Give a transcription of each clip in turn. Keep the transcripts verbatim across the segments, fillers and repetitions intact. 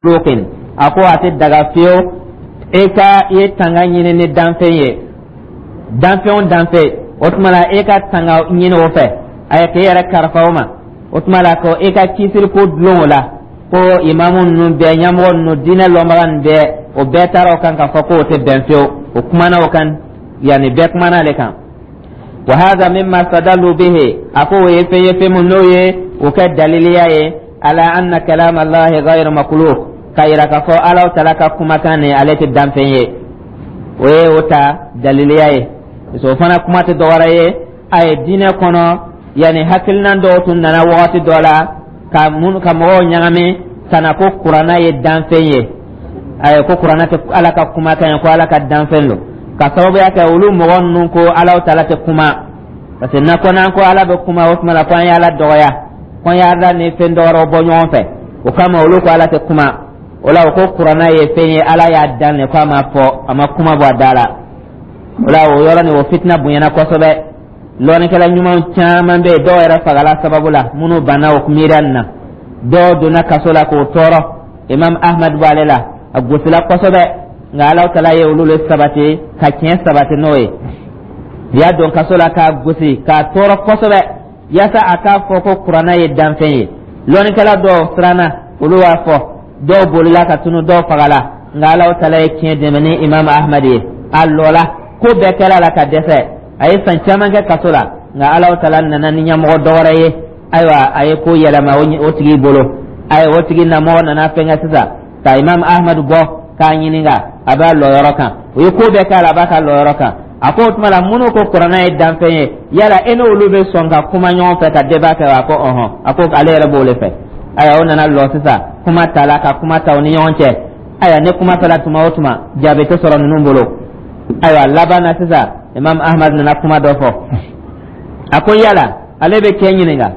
Makhluqin, a ko a tɛ daga fiyewu e ka i ye tanga ɲini ni danfɛn ye, danfɛn o danfɛn. O tuma la, e ka tanga ɲini o fɛ, a ye k'e yɛrɛ kalifa o ma. O tuma la, ko e ka kisiri ko dulon o la, ko imamu ninnu bɛɛ, ɲɛmɔgɔ ninnu, diinɛ lɔnbaga ninnu bɛɛ, o bɛɛ taara o kan k'a fɔ k'o tɛ bɛn fiyewu. O kumana o kan, yanni bɛɛ kumana ale kan. Wa hadha mimma stadallu bihi, a ko o ye fɛn ye, fɛn mun n'o ye o kɛ daliliya ye, ala anna kalam allahi ghayr makhluq, ka yira k'a fɔ Alahu Taala ka kumakan nin, ale tɛ danfɛn ye. O ye o ta daliliya ye, parce que o fana kuma tɛ dɔwɛrɛ ye, a ye diinɛ kɔnɔ, yanni hakilina dɔw tun nana wagati dɔ la ka mun ka mɔgɔw ɲagami ka na ko Kuranna ye danfɛn ye, ayi, ko Kuranna tɛ Ala ka kumakan ye, ko Ala ka danfɛn don, ka sababuya kɛ olu mɔgɔ ninnu ko Alahu Taala tɛ kuma, parce que n'a ko n'an ko Ala bɛ kuma, o tuma la ko an ye Ala dɔgɔya, ko an ye Ala ni fɛn dɔwɛrɛw bɔ ɲɔgɔn fɛ. O kama olu ko Ala tɛ kuma. O la, o ko Kuranna ye fɛn ye, Ala y'a dan de, ko a ma fɔ, a ma kuma bɔ a da la. O la, o yɔrɔ nin, o fitina bonyana kosɛbɛ. Lɔnnikɛla ɲuman caman bɛ yen, dɔw yɛrɛ fagala sababu la, minnu banna o miiriya nin na. Dɔw donna kaso la k'o tɔɔrɔ. Imam Ahmad b'ale la, a gosila kosɛbɛ, nka Alahu Taala ye olu le sabati ka tiɲɛ sabati n'o ye. U y'a don kaso la k'a gosi k'a tɔɔrɔ kosɛbɛ, yaasa a k'a fɔ ko Kuranna ye danfɛn ye. Lɔnnikɛla dɔw siranna, olu b'a fɔ, dɔw bolila ka tunu, dɔw fagala, nka Alahu Taala ye tiɲɛ dɛmɛ ni Imam Ahmad ye. A lɔla, ko bɛɛ kɛra la ka dɛsɛ, a ye san caman kɛ kaso la, nka Alahu Taala nana ni ɲɛmɔgɔ dɔwɛrɛ ye. Ayiwa, a ye ko yɛlɛma o tigi bolo. Ayiwa, o tigi namɔgɔ nana fɛnkɛ sisan ka Imam Ahmad bɔ k'a ɲininka, a b'a lɔyɔrɔ kan. O ye ko bɛɛ k'a la, a b'a ka lɔyɔrɔ kan. A ko o tuma la, minnu ko Kuranna ye danfɛn ye, yala e n'olu bɛ sɔn ka kuma ɲɔgɔn fɛ ka débat kɛ wa? A ko ɔhɔn, a ko ale yɛrɛ b'o de fɛ. Ayiwa, o nana lɔ sisan, kuma ta la ka kuma ta o ni ɲɔgɔn cɛ. Ayiwa, ne kuma fɔla tuma o tuma, jaabi tɛ sɔrɔ ninnu bolo. Ayiwa, laban na sisan, Imam Ahmad nana kuma dɔ fɔ. A ko yala ale bɛ cɛ ɲininka,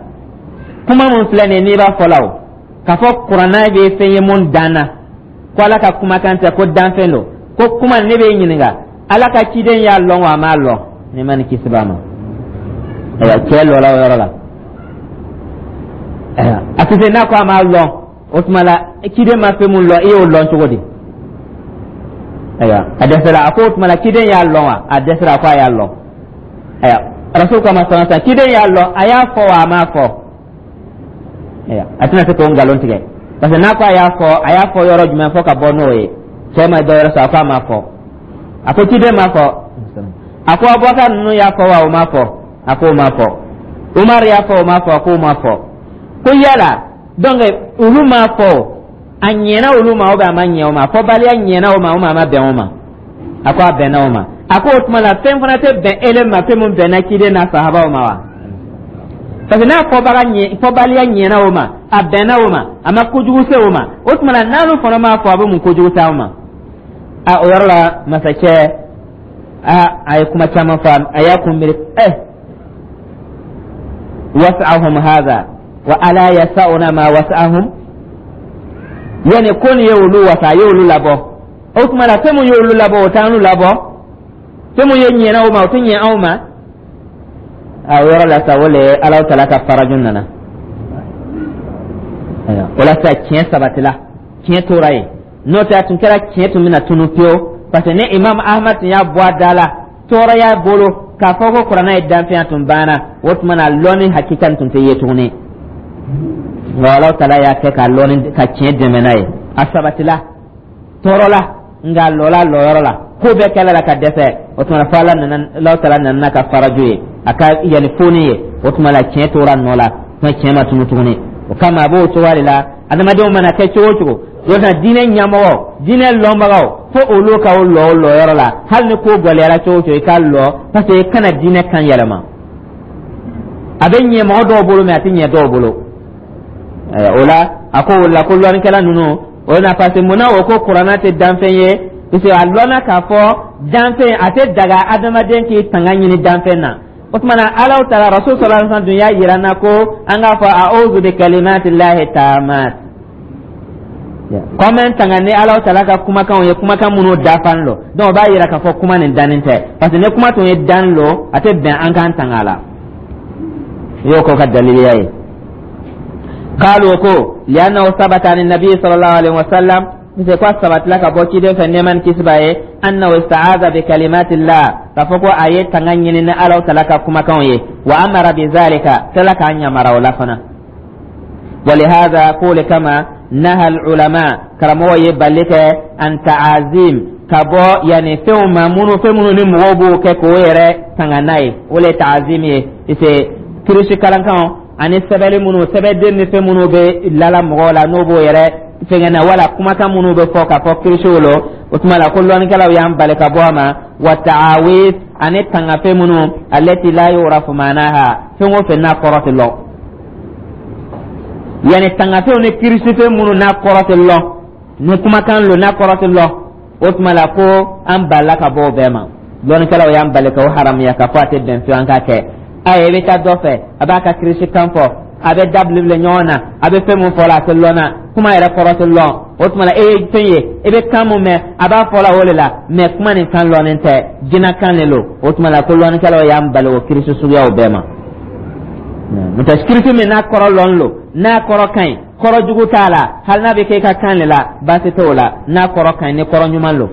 kuma mun filɛ nin ye, n'i b'a fɔ la, o k'a fɔ Kuranna bɛ fɛn ye mun danna, ko Ala ka kumakan tɛ, ko danfɛn don, ko kuma, ne b'e ɲininka, Ala ka ciden y'a lɔn wa, a m'a lɔn? Ne ma ni kisi b'a ma. Ayiwa, cɛ lɔla o yɔrɔ la. Ayiwa, a tɛ se n'a ko a m'a lɔn, o tuma la ciden ma fɛn mun lɔn, i y'o lɔn cogo di? Ayiwa, a dɛsɛra. A ko o tuma la, ciden y'a lɔn wa? A dɛsɛra. A ko a y'a lɔn. Ayiwa, Rasul kama sɔrɔ sa, ciden y'a lɔn, a y'a fɔ wa, a m'a fɔ? Ayiwa, a tɛna se k'o nkalon tigɛ, parce que n'a ko a y'a fɔ, a y'a fɔ yɔrɔ jumɛn fɔ ka bɔ n'o ye? Cɛ ma dɔ wɛrɛ sɔrɔ. A ko a m'a fɔ. A ko ciden m'a fɔ. A ko Abubakar ninnu y'a fɔ wa, o m'a fɔ? A ko o m'a fɔ. Umar y'a fɔ, o m'a fɔ? A ko o m'a fɔ. Ko yala donc olu m'a fɔ, a ɲɛna olu ma ou bien a ma ɲɛ o ma? Fɔbaliya ɲɛna o ma ou bien a ma bɛn o ma? A ko a bɛnna o ma. A ko o tuma la, fɛn fana tɛ bɛn ele ma, fɛn mun bɛnna ciden n'a sahabaw ma wa? Parce que n'a fɔbaga ɲɛ, fɔbaliya ɲɛna o ma, a bɛnna o ma, a ma kojugu se o ma, o tuma la n'olu fana m'a fɔ, a bɛ mun kojugu se aw ma? A o yɔrɔ la, masakɛ a a ye kuma caman fɔ, a y'a kun miiri ɛ wasa'ahum hadha wa ala yasa'una ma wasa'ahum, yani ko nin ye olu wasa, a ye olu labɔ. O tuma la, fɛn mun ye olu labɔ, o t'an labɔ. Fɛn mun ye ɲɛna o ma, o tɛ ɲɛ anw ma. A o yɔrɔ la sa, o le ye Alahu Taala ka faraju nana. O la sa, tiɲɛ sabatila, tiɲɛ tora yen. N'o tɛ, a tun kɛra tiɲɛ tun bɛna tunu pewu, parce que ni Imam Ahmad tun y'a bɔ a da la tɔɔrɔya bolo k'a fɔ ko Kuranɛ ye danfɛn, tun banna. O tuma na, lɔnni hakika tun tɛ ye tuguni, nka Alahu Taala y'a kɛ ka lɔnni ka tiɲɛ dɛmɛ n'a ye. A sabatila tɔɔrɔ la, nka a lɔla lɔyɔrɔ la, ko bɛɛ kɛla la ka dɛsɛ. O tuma fo Ala nana, Alahu Taala nana n'a ka faraju ye, a ka yanni foni ye. O tuma la, tiɲɛ tora nɔ la, kuma tiɲɛ ma tunu tuguni. O kama, a b'o cogoya de la. Adamadenw mana kɛ cogo o cogo, o na diinɛ ɲɛmɔgɔ, diinɛ lɔnbagaw, fo olu ka o lɔ o lɔyɔrɔ la. Hali ni ko gɛlɛyara cogo o cogo, i ka lɔ, parce que i kana diinɛ kan yɛlɛma. A bɛ ɲɛ mɔgɔ dɔw bolo, mɛ a tɛ ɲɛ dɔw bolo. O la, a ko o la ko lɔnnikɛla ninnu o na, parce que munna o ko Kuranna tɛ danfɛn ye? Parce que a lɔnna k'a fɔ danfɛn, a tɛ daga adamaden k'i tanga ɲini danfɛn na. O tuma na, Alahu Taala, Rasul sallallahu alaihi wasallam dun y'a yira n na ko an k'a fɔ a'udhu bi kalimatillahi tamat, ko an bɛ tanga ni Alahu Taala ka kumakanw ye, kumakan minnu dafalen lo. Donc o b'a yira k'a fɔ kuma nin dannen tɛ, parce que ni kuma tun ye dan lo, a tɛ bɛn an k'an tanga a la. I y'o k'o ka daliliya ye. Qalu, ko li'annahu sabata an nabi sallallahu alaihi wasallam, c'est quoi, sabatila ka bɔ ciden fɛ, nɛɛma ni kisi b'a ye, annahu ista'aza bi kalimatillah, k'a fɔ ko a ye tanga ɲini ni Alaw tala ka kumakanw ye, wa amara bi zalika, tala k'a ɲamara o la fana. ولهذا, k'o kama, naha ulama, karamɔgɔ ye bali kɛ, an ta'azim, ka bɔ yani fɛnw ma minnu, fɛn minnu ni mɔgɔw b'o kɛ k'o yɛrɛ tanga n'a ye, o le ye ta'azim ye. C'est kirisi kalankanw ani sɛbɛnni minnu, sɛbɛnden ni fɛn minnu bɛ lala mɔgɔw la, n'o b'o yɛrɛ fɛngɛ na, wala kumakan minnu bɛ fɔ k'a fɔ kirisiw lo. O tuma la ko lɔnnikɛlaw y'an bali ka bɔ a ma. Wa ta'awiz, ani tangafɛn minnu, allati la yu'rafu ma'naha, fɛn o fɛn n'a kɔrɔ tɛ lɔn, yani tangafɛnw ni kirisifɛn minnu n'a kɔrɔ tɛ lɔn, ni kumakan lo n'a kɔrɔ tɛ lɔn, o tuma la ko an balila ka bɔ o bɛɛ ma. Lɔnnikɛlaw y'an bali ka o haramuya, ka fɔ a tɛ bɛn fiyewu an k'a kɛ. Ayi, i bɛ taa dɔ fɛ, a b'a ka kirisi kan fɔ, a bɛ da bilebile ɲɔgɔn na, a bɛ fɛn mun fɔ la, a tɛ lɔn na, kuma yɛrɛ kɔrɔ tɛ lɔn. O tuma la e ye fɛn ye, i bɛ kan mun mɛn, a b'a fɔ la o de la, mɛ kuma nin kan lɔnnen tɛ, jinɛkan de lo. O tuma la ko lɔnnikɛlaw y'an bali o kirisi suguyaw bɛɛ ma. N'o tɛ, kirisi min n'a kɔrɔ lɔn lo, n'a kɔrɔ ka ɲi, kɔrɔ jugu t'a la, hali n'a bɛ kɛ i ka kan de la, baasi t'o la, n'a kɔrɔ ka ɲi, ni kɔrɔ ɲuman lo.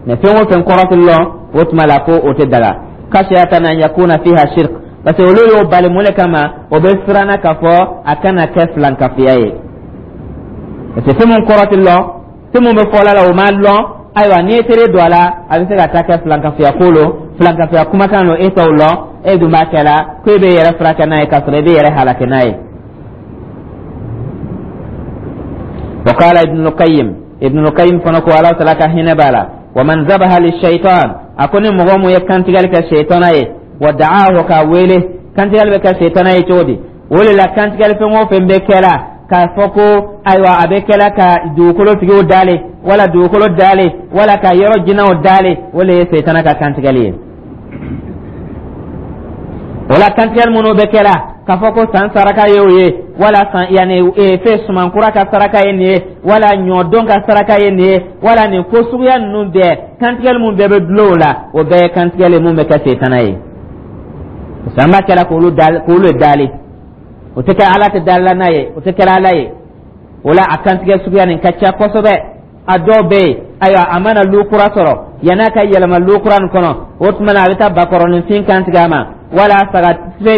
Mɛ fɛn o fɛn kɔrɔ tɛ lɔn, o tuma la ko o tɛ daga. Khashiyatan an yakuna fiha shirk, parce que olu y'o bali mun de kama? O bɛ siranna k'a fɔ a kana kɛ filankafiya ye, parce que fɛn mun kɔrɔ tɛ lɔn, fɛn mun bɛ fɔ la, o ma lɔn. Ayiwa, n'i ye tere don a la, a bɛ se ka taa kɛ filankafiya ko lo, filankafiya kumakan lo, e t'o lɔn, e dun b'a kɛ la ko e bɛ yɛrɛ furakɛ n'a ye, k'a sɔrɔ e bɛ yɛrɛ halaki n'a ye. وقال ابن القيم, ابن القيم fana ko, Ala tala ka hinɛ b'a la, ومن ذبح للشيطان, a ko ni mɔgɔ mun ye kantigɛli kɛ seytana ye, wa da'ahu, k'a wele. Kantigɛli bɛ kɛ seytana ye cogo di? O de la kantigɛli fɛn o fɛn bɛ kɛla k'a fɔ ko ayiwa, a bɛ kɛla ka dugukolo tigiw dale, wala dugukolo dale, wala ka yɔrɔ jinɛw dale, o de ye seytana ka kantigɛli ye. O la kantigɛli minnu bɛ kɛla k'a fɔ ko san saraka ye o ye, wala san yanni fɛn sumankura ka saraka ye nin ye, wala ɲɔdɔn ka saraka ye nin ye, wala nin ko suguya ninnu bɛɛ, kantigɛli mun bɛɛ bɛ dulon o la, o bɛɛ ye kantigɛli mun bɛ kɛ seytana ye, parce que an b'a kɛla k'olu dali, k'olu dali, o tɛ kɛ Ala tɛ dalila n'a ye, o tɛ kɛra Ala ye. O la a kantigɛ suguya nin ka ca kosɛbɛ. A dɔw bɛ yen, ayiwa, a mana lu kura sɔrɔ, yann'a ka yɛlɛma lu kura nin kɔnɔ, o tuma na a bɛ taa bakɔrɔninfin kantigɛ a ma, wala saga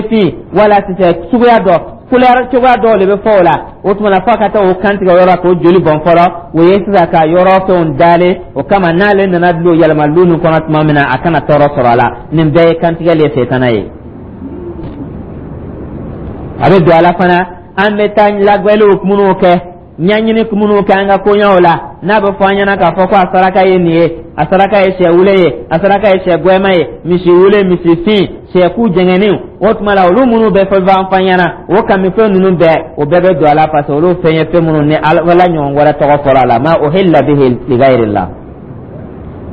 fin, wala sisɛ suguya dɔ, couleur cogoya dɔw de bɛ fɔ o la. O tuma na fo ka taa o kantigɛ o yɔrɔ k'o joli bɔn fɔlɔ, o ye sisan ka yɔrɔ fɛnw dalen o kama, n'ale nana lu yɛlɛma lu nin kɔnɔ tuma min na, a kana tɔɔrɔ sɔrɔ a la. Nin bɛɛ ye kantigɛli ye setana ye. A bɛ don a la fana, an bɛ taa lagbɛliw minnu kɛ, ɲɛɲini minnu kɛ an ka koɲɛw la, n'a bɛ fɔ an ɲɛna k'a fɔ ko a saraka ye nin ye, a saraka ye sɛ wule ye, a saraka ye sɛ gɛma ye, misi wule, misi fin, sɛku jɛngɛnniw. O tuma la olu minnu bɛ fɔ an fa ɲɛna, o kamifɛn ninnu bɛɛ, o bɛɛ bɛ don a la, parce que olu fɛn ye fɛn minnu ni Ala ɲɔgɔn wɛrɛ tɔgɔ fɔra a la, ma uhilla bihi li ghayrillah.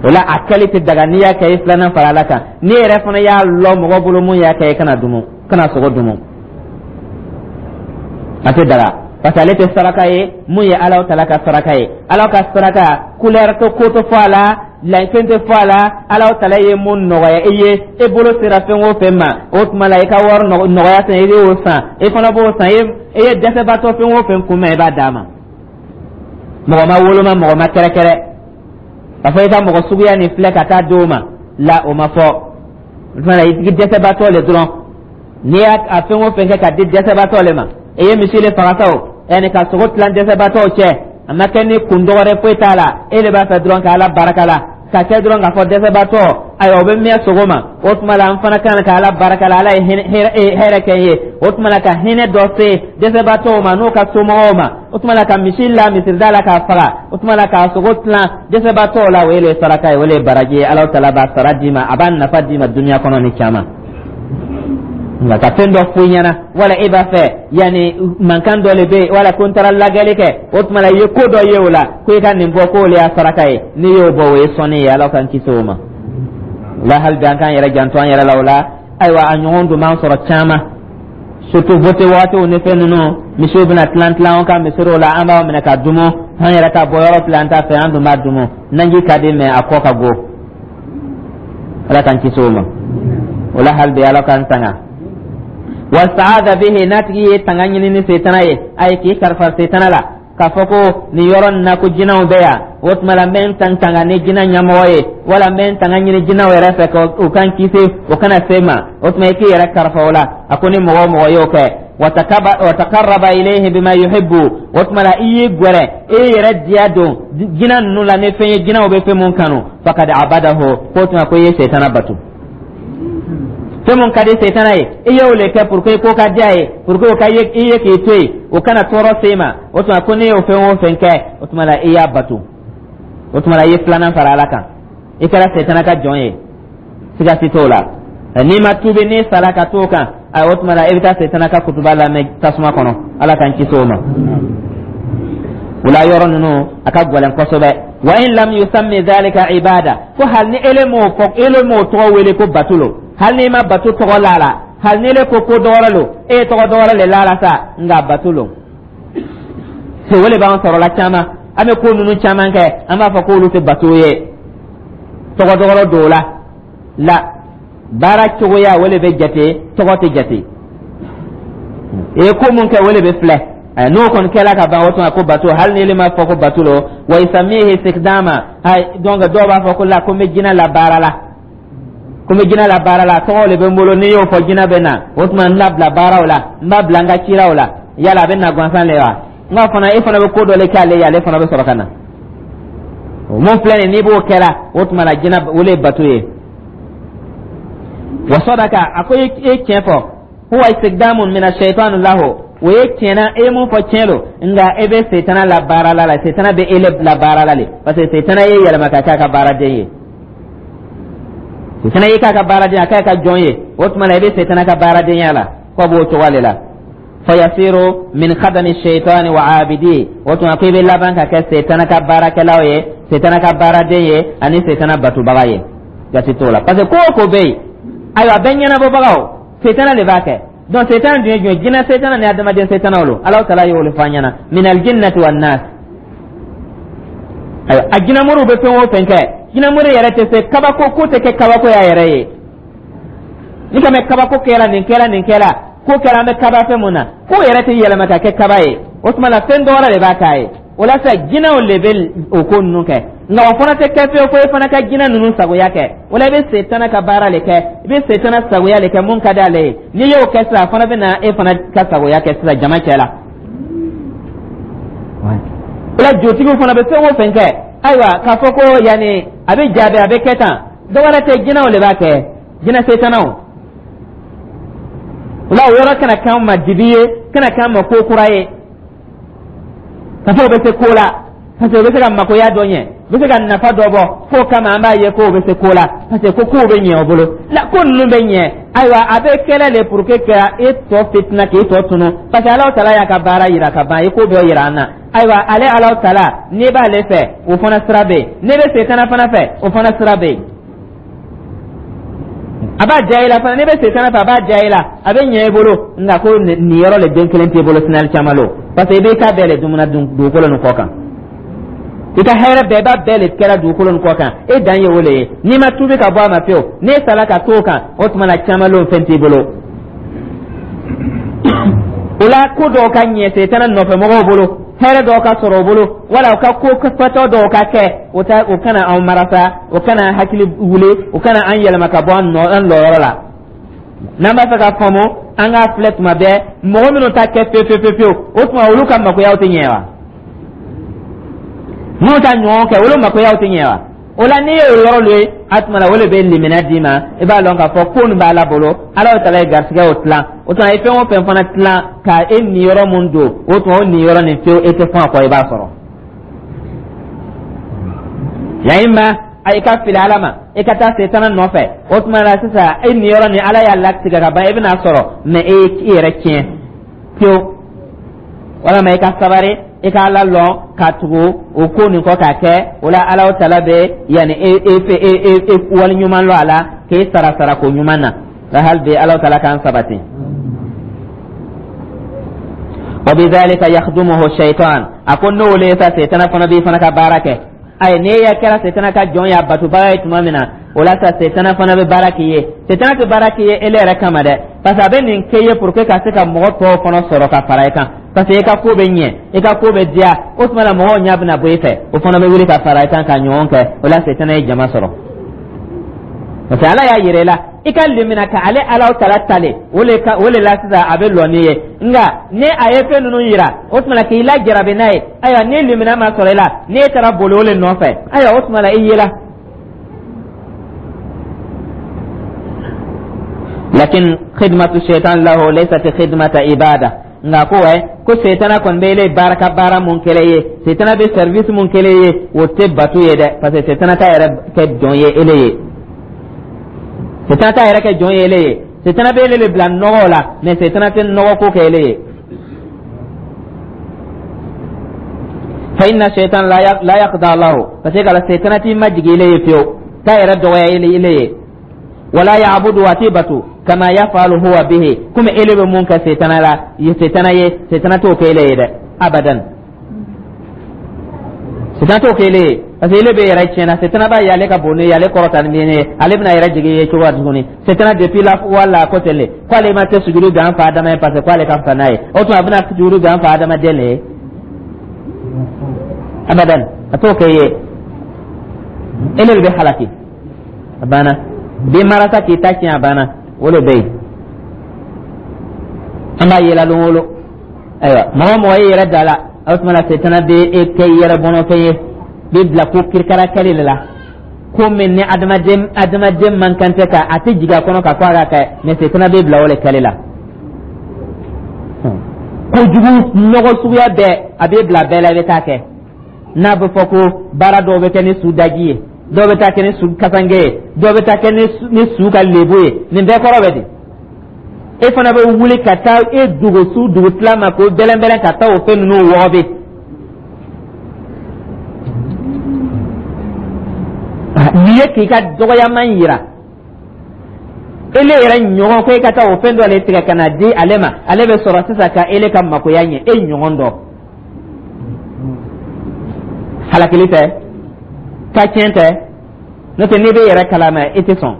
O la a kɛli tɛ daga. N'i y'a kɛ, i filanan fara Ala kan. N'i yɛrɛ fana y'a lɔ mɔgɔ bolo mun y'a kɛ, i kana dumu, kana sogo dumu, a tɛ daga, parce que ale tɛ saraka ye mun ye Ala tala ka saraka ye. Ala ka saraka, couleur tɛ, ko tɛ fɔ a la, fɛn tɛ fɔ a la. Ala tala ye mun nɔgɔya i ye, e bolo sera fɛn o fɛn ma, o tuma la i ka wari nɔgɔya san, i y'o san, i fana b'o san. E ye dɛsɛbaatɔ fɛn o fɛn kunbɛn, i b'a d'a ma. Mɔgɔ ma woloma, mɔgɔ ma kɛrɛkɛrɛ k'a fɔ i ka mɔgɔ suguya nin filɛ ka taa d'o ma la, o ma fɔ. O tuma la i dɛsɛbaatɔ le dɔrɔn, n'i y'a fɛn o fɛn kɛ ka di dɛsɛbaatɔ le ma, i ye misi le faga sa o, yanni ka sogo tilan dɛsɛbaatɔw cɛ, a ma kɛ ni kun dɔgɔrɛ foyi t'a la, e de b'a fɛ dɔrɔn ka Ala barika la, ka kɛ dɔrɔn k'a fɔ dɛsɛbaatɔ, ayiwa, o bɛ mɛn sogo ma. O tuma la an fana kan ka Ala barika la, Ala ye hɛrɛ kɛ n ye. O tuma la ka hinɛ dɔ se dɛsɛbaatɔw ma n'o ka somɔgɔw ma, o tuma la ka misi la misirida la k'a faga, o tuma la k'a sogo tilan dɛsɛbaatɔw la, o ye le saraka ye, o le ye baraji ye. Ala tala b'a sara d'i ma, a b'a nafa d'i ma dunuya kɔnɔ ni caman. Nka ka fɛn dɔ fɔ i ɲɛna, wala e b'a fɛ yanni mankan dɔ le bɛ yen, wala ko n taara lajɛli kɛ, o tuma la i ye ko dɔ ye o la, ko i ka nin bɔ, k'o le y'a saraka ye, n'i y'o bɔ, o ye sɔnni ye. Ala k'an kisi o ma. O la hali bi an k'an yɛrɛ janto an yɛrɛ la. O la ayiwa, a ɲɔgɔn dun b'an sɔrɔ caman, surtout vote waatiw ni fɛn ninnu, misiw bɛna tilan tilan an ka misiriw la, an b'a minɛ ka dumu, an yɛrɛ ka bɔ yɔrɔ filɛ, an t'a fɛ, an dun b'a dumu. Naji ka di, mɛ a kɔ ka go. Ala k'an kisi o ma. O la hali bi Ala k'an tanga. Wastaada bihi, n'a tigi ye tanga ɲini ni setana ye, ayi, k'i kalifa setana la k'a fɔ ko nin yɔrɔ nin na ko jinɛw bɛ yan, o tuma la n bɛ n tan tanga ni jinɛ ɲɛmɔgɔ ye, wala n bɛ n tanga ɲini jinɛw yɛrɛ fɛ k'u kan kisi, o kana se ma, o tuma i k'i yɛrɛ kalifa o la. A ko ni mɔgɔ o mɔgɔ y'o kɛ, watakarraba ilayhi bima yuhibbu, o tuma la i y'i gwɛrɛ, i yɛrɛ diya don jinɛ ninnu la ni fɛn ye, jinɛw bɛ fɛn mun kanu, fakad abadahu, k'o tuma ko i ye setana bato. Fɛn mun ka di setana ye, i y'o le kɛ pour que ko ka diya ye, pour que o ka ye i ye k'i to yen, o kana tɔɔrɔ se ma. O tuma ko ne y'o fɛn o fɛn kɛ, o tuma la i y'a bato. O tuma la i ye filanan fara Ala kan, i kɛra setana ka jɔn ye, siga si t'o la. N'i ma tuubi, n'i sara ka t'o kan, ayi, o tuma la i bɛ taa setana ka kutuba lamɛn tasuma kɔnɔ. Ala k'an kisi o ma. O la yɔrɔ ninnu a ka gɛlɛn kosɛbɛ. Wa in lam yusammi dhalika ibada, ko hali ni ele m'o fɔ, ele m'o tɔgɔ wele ko bato lo, hali n'i ma bato tɔgɔ la la, hali ni ele ko ko dɔwɛrɛ lo, e ye tɔgɔ dɔwɛrɛ le la la sa, nka bato lo. O le b'an sɔrɔ la caman, an bɛ ko ninnu caman kɛ, an b'a fɔ k'olu tɛ bato ye, tɔgɔ dɔwɛrɛ don o la. La baara cogoya, o le bɛ jate, tɔgɔ tɛ jate. I ye ko mun kɛ, o le bɛ filɛ. N'o kɔni kɛla ka ban, o tuma ko bato, hali ni ele ma fɔ ko bato lo. Wa yusamihi istikdama, donc dɔw b'a fɔ ko la, ko n bɛ jinɛ la baara la, ko n bɛ jinɛ la baara la, tɔgɔ de bɛ n bolo, n'i y'o fɔ jinɛ bɛ na, o tuma n labila baaraw la, n b'a bila n ka ciraw la. Yala a bɛ na gansan le wa? N ka fana, e fana bɛ ko dɔ le kɛ ale ye, ale fana bɛ sɔrɔ ka na. O mun filɛ nin, n'i b'o kɛra, o tuma la jinɛ, o le ye bato ye. Wa sadaka, a ko e ye tiɲɛ fɔ, huwa istikdamun mina shaitan lahu, o ye tiɲɛna, e ye mun fɔ tiɲɛ don, nka e bɛ setana la baara la la setana bɛ e la baara la le, parce que setana ye yɛlɛma ka k'a ka baaraden ye. Setana y'i k'a ka baaraden, a k'a ka jɔn ye, o tuma na i bɛ setana ka baaradenya la, k'o b'o cogo de la. Fayasiru min khadami shaitani wa abidi, o tuma ko i bɛ laban ka kɛ setana ka baarakɛlaw ye, setana ka baaraden ye ani setana batobaga ye. Jate t'o la, parce que ko o ko bɛ yen, ayiwa, a bɛɛ ɲɛnabɔbagaw, setana de b'a kɛ. Donc setana dun ye jumɛn? Jinɛ setana ni adamaden setana lo. Alahu taala y'o fɔ an ɲɛna, min aljinnati wan nas. Ayiwa, a jinɛmoriw bɛ fɛn o fɛn kɛ, jinɛmori yɛrɛ tɛ se kabako ko tɛ kɛ kabako y'a yɛrɛ ye. Ni ka mɛn kabako kɛra, nin kɛra, nin kɛra, ko kɛra, an bɛ kaba fɛn mun na, ko yɛrɛ tɛ yɛlɛma ka kɛ kaba ye. O tuma na fɛn dɔ wɛrɛ de b'a k'a ye. O la sa, jinɛw de bɛ o ko ninnu kɛ, nka o fana tɛ kɛ fiyewu fo e fana ka jinɛ ninnu sagoya kɛ. O la i bɛ setana ka baara de kɛ, i bɛ setana sagoya de kɛ, mun ka di ale ye. N'i y'o kɛ sisan, a fana bɛ na e fana ka sagoya kɛ sisan jama cɛ la. O la jotigiw fana bɛ fɛn o fɛn kɛ, ayiwa, k'a fɔ ko yanni a bɛ jaabi, a bɛ kɛ tan, dɔ wɛrɛ tɛ, jinɛw de b'a kɛ, jinɛ setanaw. O la o yɔrɔ kana k'an ma dibi ye, kana k'an ma ko kura ye ka fɔ o bɛ se ko la, parce que o bɛ se ka makoya dɔ ɲɛ, u bɛ se ka nafa dɔ bɔ k'o kama, an b'a ye k'o bɛ se ko la, parce que ko kow bɛ ɲɛ o bolo la, ko ninnu bɛ ɲɛ. Ayiwa, a bɛ kɛlɛ le pour que ka e tɔ fitina, k'e tɔ tunu, parce que Alahu taala y'a ka baara yira ka ban, i ko bɛɛ yira an na. Ayiwa, ale Alahu taala, n'i b'ale fɛ, o fana sira bɛ yen, n'i bɛ setana fana fɛ, o fana sira bɛ yen. A b'a diya i la fana, n'i bɛ setana fɛ, a b'a diya i la, a bɛ ɲɛ i bolo, nka ko nin yɔrɔ le den kelen t'i bolo sinali caman lo, parce que i b'i ka bɛɛ le dumuna dugukolo nin kɔ kan, i ka hɛrɛ bɛɛ, i b'a bɛɛ le kɛra dugukolo nin kɔ kan, e dan ye o le ye. N'i ma tuubi ka bɔ a ma fiyewu, n'e sala ka t'o kan, o tuma na caman lo, fɛn t'i bolo. O la ko dɔw ka ɲɛ setana nɔfɛ mɔgɔw bolo, hɛrɛ dɔw ka sɔrɔ o bolo, wala u ka ko fatɔ dɔw ka kɛ, o ta, o kana anw marasa, o kana hakili wuli, o kana an yɛlɛma ka bɔ an nɔ, an lɔyɔrɔ la. N'an b'a fɛ ka faamu, an k'a filɛ tuma bɛɛ, mɔgɔ minnu ta kɛ fewu fewu fewu, o tuma olu ka makoyaw tɛ ɲɛ wa? Minnu ta ɲɔgɔn kɛ, olu makoyaw tɛ ɲɛ wa? O la n'i y'o yɔrɔ lo ye, a tuma la o de bɛ limaniya d'i ma, i b'a dɔn k'a fɔ ko nin b'Ala bolo, Ala taala ye garisigɛ o tilan. O tuma i fɛn o fɛn fana tilan ka e niyɔrɔ mun don, o tuma o niyɔrɔ nin fiyewu, e tɛ fɔn a kɔ, i b'a sɔrɔ. Ya imma a i ka fili Ala ma, i ka taa setana nɔfɛ, o tuma la sisan e niyɔrɔ ni Ala y'a latigɛ ka ban, e bɛna sɔrɔ, mɛ e i yɛrɛ tiɲɛ pewu. Walama i ka sabari, i ka Ala lɔn ka tugu o ko nin kɔ k'a kɛ, o la Ala taala bɛ yanni e e e e e wali ɲuman lɔ a la k'e sara sarako ɲuman na la. Hali bi Ala taala k'an sabati. Wa bidhalika yakhdumuhu shaytan, a ko n'o le sa, setana fana b'i fana ka baara kɛ. Ayi, n'e ya kɛra setana ka jɔn y'a batobaga ye tuma min na, o la sa setana fana bɛ baara k'i ye. Setana tɛ baara k'i ye ele yɛrɛ kama dɛ. Parce que a bɛ nin kɛ ye pour que ka se ka mɔgɔ tɔw fana sɔrɔ ka fara i kan, parce que i ka ko bɛ ɲɛ, i ka ko bɛ diya. O tuma la, mɔgɔw ɲɛ bɛna bɔ i fɛ, o fana bɛ wuli ka fara i kan ka ɲɔgɔn kɛ. O la, setana ye jama sɔrɔ, parce que Ala y'a yira i la i ka limina ka ale Ala tala tale o le ka o le la. Sisan a bɛ lɔ n'i ye, nka ni a ye fɛn ninnu yira, o tuma la k'i lajarabi n'a ye. Ayiwa, ni limina ma sɔrɔ i la, n'e taara boli o le nɔfɛ, ayiwa, o tuma la i yela. Lakin khidmatu shaitan lahu laysat khidmata ibada. Nka ko wɛ, ko setana kɔni bɛ ele baara ka baara mun kɛlɛ ye, setana bɛ service mun kɛlɛ ye, o tɛ bato ye dɛ, parce que setana t'a yɛrɛ kɛ jɔn ye ele ye, setana t'a yɛrɛ kɛ jɔn ye ele ye. Setana bɛ ele de bila nɔgɔ la, mais setana tɛ nɔgɔ ko kɛ ele ye. Fa inna shaitan la yaqda lahu, parce que kala setana t'i majigin ele ye fiyewu, t'a yɛrɛ dɔgɔya ele ele ye. Wala ya'budu, a t'i batu, kama yafalu huwa bihi, komi ele bɛ mun kɛ setana la ye, setana ye, setana t'o kɛ ele ye dɛ, abadan, setana t'o kɛ ele ye, parce que ele bɛ yɛrɛ tiɲɛna. Setana b'a ye ale ka bon ne ye, ale kɔrɔta ni ne ye, ale bɛna yɛrɛ jigin ye cogo tuguni. Setana depuis la wala ko ten le ko ale ma tɛ sujudu bin an fa Adama ye, parce que ko ale ka fisa n'a ye. O tuma a bɛna sujudu bin an fa Adamaden le ye? Abadan, a t'o kɛ ye. Ele de bɛ halaki, a banna. Den marasa k'i ta tiɲɛ, a banna. O de bɛ yen, an b'a yela lon o lon. Ayiwa, mɔgɔ o mɔgɔ e yɛrɛ da la, o tuma na setana bɛ e kɛ yɛrɛ bɔnɔfɛn ye, bɛ bila ko kirikara kɛli de la, ko min ni adamaden adamaden man kan tɛ ka a tɛ jigin a kɔnɔ ka fɔ a ka kɛ, mais setana bɛ bila o de kɛli la. Kojugu nɔgɔ suguya bɛɛ, a bɛ bila bɛɛ la, i bɛ taa kɛ. N'a bɛ fɔ ko baara dɔw bɛ kɛ ni su daji ye, dɔw bɛ taa kɛ ni su kasange ye, dɔw bɛ taa kɛ ni su ka lebu ye, nin bɛɛ kɔrɔ bɛ di? E fana bɛ wuli ka taa e dogo su dugutila ma k'o bɛlɛnbɛlɛn ka taa o fɛn ninnu wɔgɔbɛ. Nin ye k'i ka dɔgɔyaman yira ele yɛrɛ ɲɔgɔn ko e ka taa o fɛn dɔ le tigɛ ka na di ale ma, ale bɛ sɔrɔ sisan ka ele ka makoya ɲɛ e ɲɔgɔn dɔ. Halakili tɛ ka tiɲɛ tɛ, n'o tɛ n'i bɛ yɛrɛ kalama, i tɛ sɔn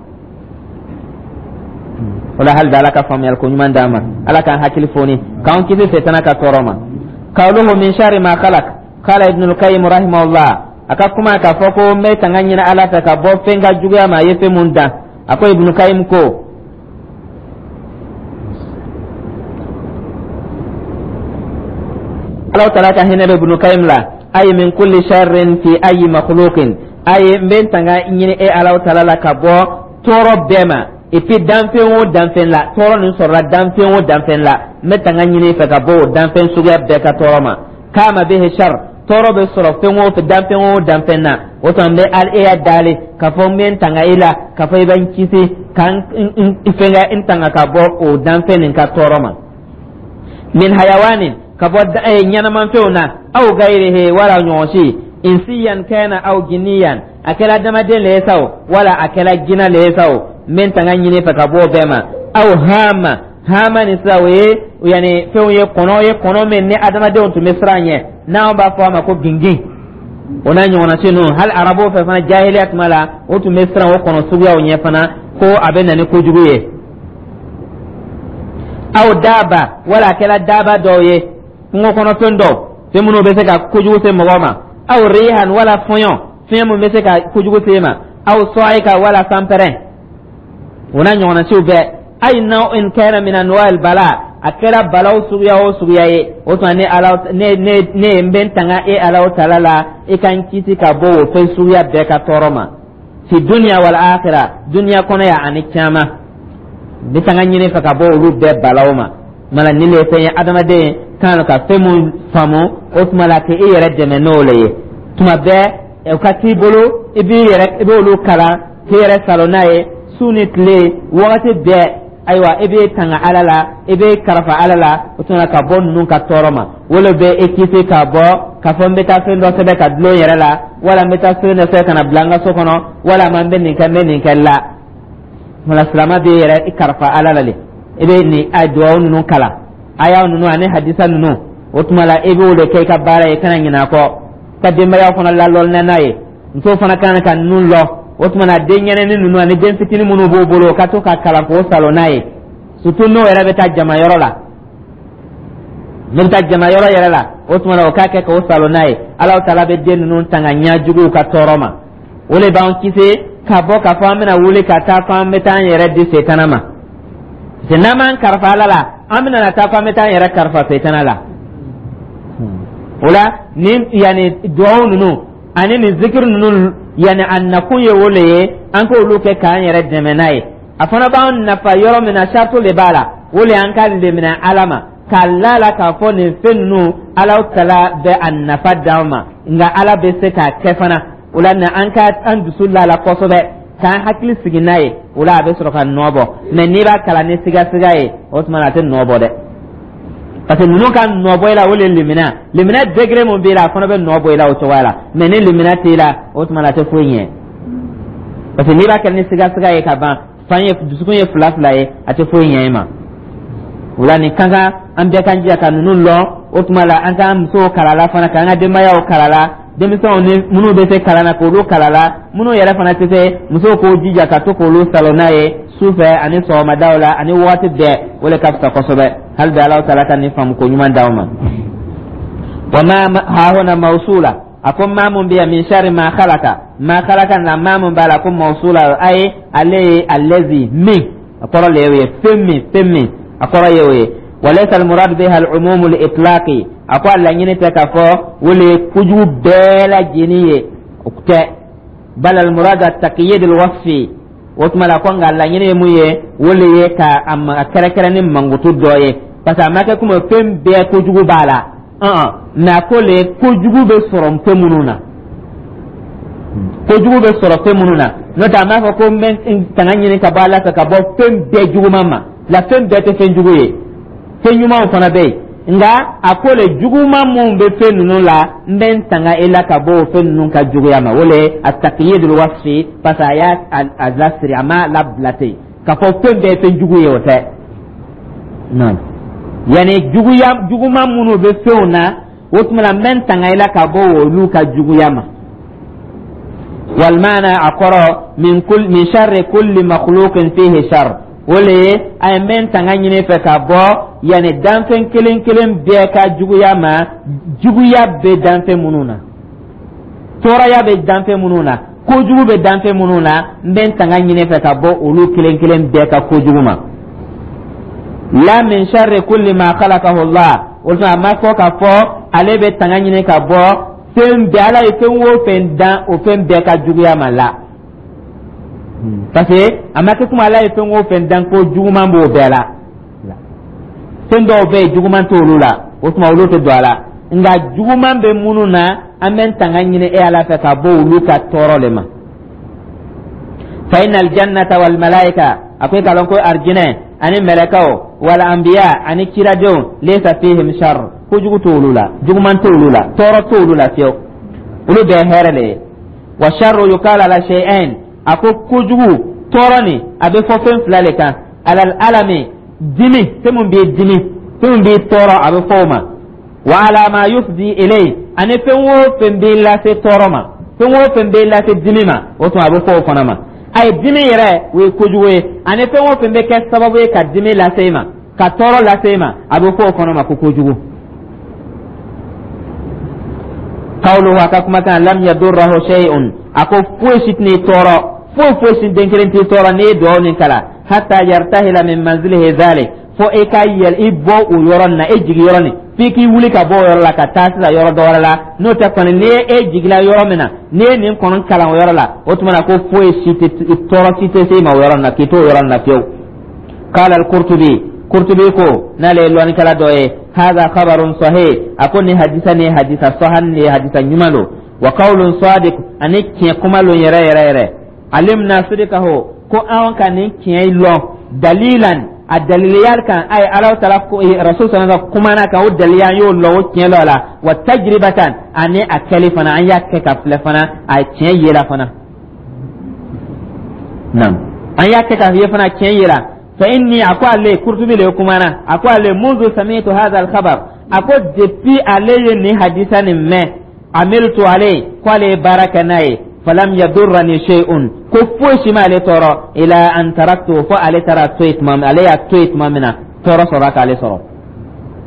o la. Hali bi, Ala ka faamuyali ko ɲuman d'an ma, Ala k'an hakili foni, k'an kisi setana ka tɔɔrɔ ma. Qawluhu min sharri ma khalaq, qala Ibn al-Qayyim rahimahullah. A ka kuma k'a fɔ ko n bɛ tanga ɲini Ala fɛ ka bɔ fɛn ka juguya ma, a ye fɛn mun dan. A ko Ibn Qayyim ko Ala taala ka hinɛ bɛ Ibn Qayyim la. Ay min kulli sharrin fi ayi makhluqin, ayi n bɛ n tanga ɲini e Ala taala la ka bɔ tɔɔrɔ bɛɛ ma. Et puis danfɛn o danfɛn la, tɔɔrɔ nin sɔrɔla danfɛn o danfɛn la, n bɛ tanga ɲini fɛ ka bɔ o danfɛn suguya bɛɛ ka tɔɔrɔ ma. Kama bihi shar, tɔɔrɔ bɛ sɔrɔ fɛn o fɛn, danfɛn o danfɛn na, o tuma n bɛ e y'a dali k'a fɔ n bɛ n tanga i la, k'a fɔ i bɛ n kisi ka n fɛnkɛ n tanga ka bɔ o danfɛn nin ka tɔɔrɔ ma. Min hayawanin, ka bɔ ɲɛnamanfɛnw na, aw gayirihi, wala ɲɔgɔn si, insiyan kana aw jinniyan, a kɛra adamaden le ye sa o, wala a kɛra jinɛ le ye sa o, n bɛ n tanga ɲini fɛ ka bɔ o bɛɛ ma. Aw hama hama ni sisan, o ye yanni fɛnw ye, kɔnɔ ye, kɔnɔ min ni adamadenw tun bɛ siran ɲɛ, n'anw b'a fɔ a ma ko gingin, o n'a ɲɔgɔnna si ninnu. Hali arabuw fɛ fana, jahiliya tuma la, o tun bɛ siran o kɔnɔ suguyaw ɲɛ fana, ko a bɛ na ni kojugu ye. Aw daaba, wala a kɛra daaba dɔw ye, kungo kɔnɔfɛn dɔw, fɛn minnu bɛ se ka kojugu se mɔgɔ ma. Aw rihan, wala fɔɲɔ, fiɲɛ min bɛ se ka kojugu se ma. Aw sɔ'ika, wala sanpɛrɛn, o n'a ɲɔgɔnna siw bɛɛ. Ay naw'in kana min anwa'il bala, a kɛra balaw suguya o suguya ye, o tuma ne Ala, ne ne ne n bɛ n tanga e Ala taala la, i ka n kisi ka bɔ o fɛn suguya bɛɛ ka tɔɔrɔ ma, fi dunya wal akhirah, dunya kɔnɔ yan ani kiyama. N bɛ tanga ɲini fɛ ka bɔ olu bɛɛ balaw ma. Mala nin de ye fɛn ye adamaden kan ka fɛn mun faamu, o tuma la k'i yɛrɛ dɛmɛ n'o le ye. Tuma bɛɛ o ka t'i bolo, i b'i yɛrɛ, i b'olu kalan k'i yɛrɛ salo n'a ye su ni tile, wagati bɛɛ. Ayiwa, i bɛ tanga Ala la, i bɛ karafa Ala la, o tuma ka bɔ ninnu ka tɔɔrɔ ma. O le bɛ e kisi ka bɔ k'a fɔ n bɛ taa fɛn dɔ sɛbɛn ka dulon yɛrɛ la, wala n bɛ taa fɛn dɔ sɛbɛn ka na bila n ka so kɔnɔ, wala ma n bɛ nin kɛ, n bɛ nin kɛ la. Wala silamɛ bɛ yɛrɛ i karafa Ala la le, i bɛ nin a duwawu ninnu kalan, aya ninnu ani hadisa ninnu, o tuma la i b'o de kɛ i ka baara ye, kana ɲinɛ a kɔ. Ka denbaya fana lalɔlina n'a ye, musow fana kan ka ninnu lɔ, o tuma na den ɲɛnɛni ninnu ani den fitinin minnu b'o bolo, o ka to ka kalan k'o salon n'a ye. Surtout n'o yɛrɛ bɛ taa jama yɔrɔ la, n'o bɛ taa jama yɔrɔ yɛrɛ la, o tuma na o k'a kɛ k'o salon n'a ye. Alahu taala bɛ den ninnu tanga ɲɛjuguw ka tɔɔrɔ ma. O de b'an kisi ka bɔ k'a fɔ an bɛna wuli ka taa fɔ an bɛ taa an yɛrɛ di setana ma, parce que n'an m'an kalifa Ala la, an bɛna na taa fɔ an bɛ taa an yɛrɛ kalifa setana la. O la, nin yanni duwawu ninnu ani nin zikiri ninnu, yanni a nakun ye o le ye, an k'olu kɛ k'an yɛrɛ dɛmɛ n'a ye. A fana b'an nafa yɔrɔ min na, sarito de b'a la. O le y'an ka lemina Ala ma, k'a la la k'a fɔ nin fɛn ninnu, Ala tala bɛ a nafa d'an ma, nka Ala bɛ se k'a kɛ fana. O la, na an ka an dusu la la kosɛbɛ, k'an hakili sigi n'a ye. O la, a bɛ sɔrɔ ka nɔ bɔ. Mɛ n'i b'a kalan ni sigasiga ye, o tuma na a tɛ nɔ bɔ dɛ, parce que ninnu ka nɔ bɔ i la, o le limina. Limina degré mun b'i la, a fana bɛ nɔ bɔ i la o cogoya la. Mɛ ni limina t'i la, o tuma na a tɛ foyi ɲɛ, parce que n'i b'a kɛ ni sigasiga ye ka ban, fan ye dusukun ye fila fila ye, a tɛ foyi ɲɛ i ma. O la, nin ka kan an bɛɛ k'an jija ka ninnu lɔn. O tuma la, an k'an musow kala la fana, k'an ka denbayaw kala la, denmisɛnw ni minnu bɛ se kalan na, k'olu kala la. Minnu yɛrɛ fana tɛ se, musow k'o jija ka to k'olu salon n'a ye su fɛ ani sɔgɔmadaw la ani waati bɛɛ. O de ka fisa kosɛbɛ. Hali bi, Alahu taala ka nin faamu ko ɲuman d'aw ma. Wa ma hahuna mawsula, a ko maa mun bɛ yan, min sharri ma khalaqa, ma khalaqa na, maa mun b'a la ko mawsula, ayi, ale ye allazi min, a kɔrɔ le ye fɛn min, fɛn min, a kɔrɔ ye o ye. Walaysa almurad biha al-umum al-itlaqi, a ko a laɲini tɛ k'a fɔ o le ye kojugu bɛɛ lajɛlen ye, o tɛ. Bal almurad at-taqyid al-wasfi, o tuma la ko nka laɲini ye mun ye, o le ye ka a kɛrɛkɛrɛ ni mankutu dɔ ye, parce que a ma kɛ komi fɛn bɛɛ kojugu b'a la, mɛ a ko le kojugu bɛ sɔrɔ fɛn minnu na, kojugu bɛ sɔrɔ fɛn minnu na. N'o tɛ, a m'a fɔ ko n bɛ tanga ɲini ka bɔ Ala fɛ ka bɔ fɛn bɛɛ juguman ma la. Fɛn bɛɛ tɛ fɛn jugu ye, fɛn ɲumanw fana bɛ yen. Nka a ko le juguman minnu bɛ fɛn ninnu la, n bɛ n tanga e la ka bɔ o fɛn ninnu ka juguya ma. O le a taqyidul wasfi, parce que a y'a a lasiri, a m'a labila ten k'a fɔ fɛn bɛɛ ye fɛn jugu ye, o tɛ. Naam, yanni juguya juguman minnu bɛ fɛnw na, o tuma na n bɛ n tanga i la ka bɔ olu ka juguya ma. Walmaana, a kɔrɔ, min kul min sharri kulli makhluqin fihi shar, o le ye a ye n bɛ n tanga ɲini fɛ ka bɔ yanni danfɛn kelen kelen bɛɛ ka juguya ma, juguya bɛ danfɛn minnu na, tɔɔrɔya bɛ danfɛn minnu na, kojugu bɛ danfɛn minnu na, n bɛ n tanga ɲini fɛ ka bɔ olu kelen kelen bɛɛ ka kojugu ma. La min sharri kulli ma khalaqahu Allah, o tuma a ma fɔ k'a fɔ ale bɛ tanga ɲini ka bɔ fɛn bɛɛ, Ala ye fɛn o fɛn dan, o fɛn bɛɛ ka juguya ma la, parce que a ma kɛ komi Ala ye fɛn o fɛn dan ko juguman b'o bɛɛ la. Fɛn dɔw bɛ yen, juguman t'olu la, o tuma olu tɛ don a la. Nka juguman bɛ minnu na, an bɛ tanga ɲini e Ala fɛ ka bɔ olu ka tɔɔrɔ de ma. Fa inna aljannata wal malaika, a ko i k'a lɔn ko arijinɛ ani mɛlɛkɛw, wal anbiya, ani kiradenw, laysa fihim shar, kojugu t'olu la, juguman t'olu la, tɔɔrɔ t'olu la fiyewu, olu bɛɛ hɛrɛ le ye. Wa sharru yuqalu ala shay'ain, a ko kojugu, tɔɔrɔ nin, a bɛ fɔ fɛn fila le kan: alal alami, dimi, fɛn mun b'i dimi, fɛn mun b'i tɔɔrɔ, a bɛ fɔ o ma. Wa ala ma yufdi ilay, ani fɛn o fɛn b'i lase tɔɔrɔ ma, fɛn o fɛn b'i lase dimi ma, o tuma a bɛ fɔ o fana ma. A ye dimi yɛrɛ, o ye kojugu ye, ani fɛn o fɛn bɛ kɛ sababu ye ka dimi lase i ma, ka tɔɔrɔ lase i ma, a bɛ fɔ o fana ma ko kojugu. Qawluhu, a ka kumakan, lam yadurruhu shay'un, a ko foyi si tɛn'i tɔɔrɔ, foyi foyi si den kelen t'i tɔɔrɔ n'i ye dugawu nin kalan, hatta yartahila min manzilihi dhalik, fo e ka yɛlɛ i bɔ o yɔrɔ nin na, e jigin yɔrɔ nin, f'i k'i wuli ka bɔ o yɔrɔ la ka taa sisan yɔrɔ dɔ wɛrɛ la. N'o tɛ kɔni, n'i ye e jigila yɔrɔ min na, n'i ye nin kɔnɔ kalan o yɔrɔ la, o tuma na ko foyi si tɛ, tɔɔrɔ si tɛ se i ma o yɔrɔ nin na k'i to o yɔrɔ nin na fiyewu. Qala al-Qurtubi, Qurtubi ko, n'ale ye lɔnnikɛla dɔ ye, hadha khabarun sahih, a ko nin hadisa ni hadisa sahan ni hadisa ɲuman don, wa qawlun sadiq, ani tiɲɛ kuma lon yɛrɛ yɛrɛ yɛrɛ. Alimna sidqahu, ko an ka nin tiɲɛ lɔn, dalilan, a daliliya kan, a ye Ala taala ko rasul sallallahu alaihi kumana kan, o daliliya an y'o lɔn, o tiɲɛ lɔ la. Wa tajribatan, ani a kɛli fana, an y'a kɛ ka filɛ fana, a tiɲɛ yela fana. Naam, an y'a kɛ ka ye fana, tiɲɛ yela. Fa inni, a ko ale Kurtubi le kumana, a ko ale munzu sami'tu hadha al-khabar, a ko depuis ale ye nin hadisa nin mɛn, amiltu ale, ko ale ye baara kɛ n'a ye. Falam yadurrani shay'un, ko foyi si m'ale tɔɔrɔ, ila an taraktu, fo ale taara to yen tuma min, ale y'a to yen tuma min na, tɔɔrɔ sɔrɔla k'ale sɔrɔ.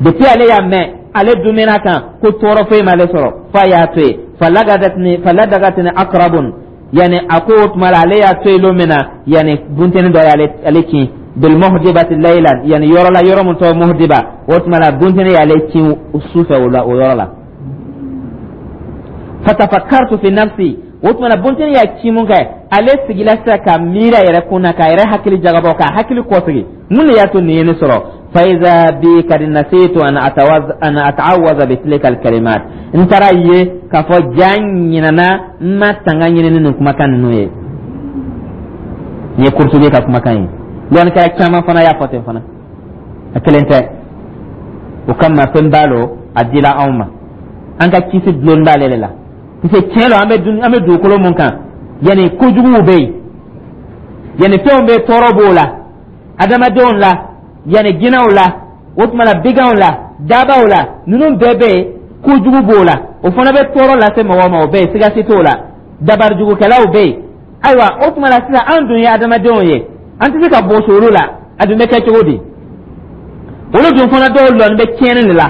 Depuis ale y'a mɛn, ale dumina kan ko tɔɔrɔ foyi m'ale sɔrɔ, f'a y'a to yen. Falagadatni faladagatni aqrabun, yani a ko o tuma la, ale y'a to yen don min na, yani bunteni dɔ y'ale ale kin bil muhdibati laylan, yani yɔrɔ la, yɔrɔ min tɔgɔ Muhdiba. O tuma la, bunteni y'ale kin su fɛ o la, o yɔrɔ la. Fatafakkartu fi nafsi, o tuma na, bunteni y'a ci mun kɛ, ale sigila sisan ka miiri a yɛrɛ kun na, k'a yɛrɛ hakili jagabɔ, k'a hakili kɔsegi, mun de y'a to nin ye ne sɔrɔ? Faiza bi kad nasitu an atawaz an ata'awaza bi tilka alkalimat, n taara ye k'a fɔ ja ɲinana, n ma tanga ɲini ni nin kumakan ninnu ye. Nin ye Kurutubi ka kumakan ye. Lɔnnikɛla caman fana y'a fɔ ten fana, a kelen tɛ. O kama, fɛn b'a lo, a dila anw ma, an ka kisi dulon b'ale de la, parce que tiɲɛ don, an bɛ dun an bɛ dugukolo mun kan, yanni kojuguw bɛ yen, yanni fɛnw bɛ, tɔɔrɔ b'o la, adamadenw la, yanni jinɛw la, o tuma na biganw la, dabaw la, ninnu bɛɛ bɛ yen, kojugu b'o la, o fana bɛ tɔɔrɔ lase mɔgɔw ma, o bɛ yen, siga si t'o la. Dabarijugukɛlaw bɛ yen. Ayiwa, o tuma la sisan, an dun ye adamadenw ye, an tɛ se ka bɔsi olu la. A dun bɛ kɛ cogo di? Olu dun fana dɔw lɔnni bɛ tiɲɛni de la.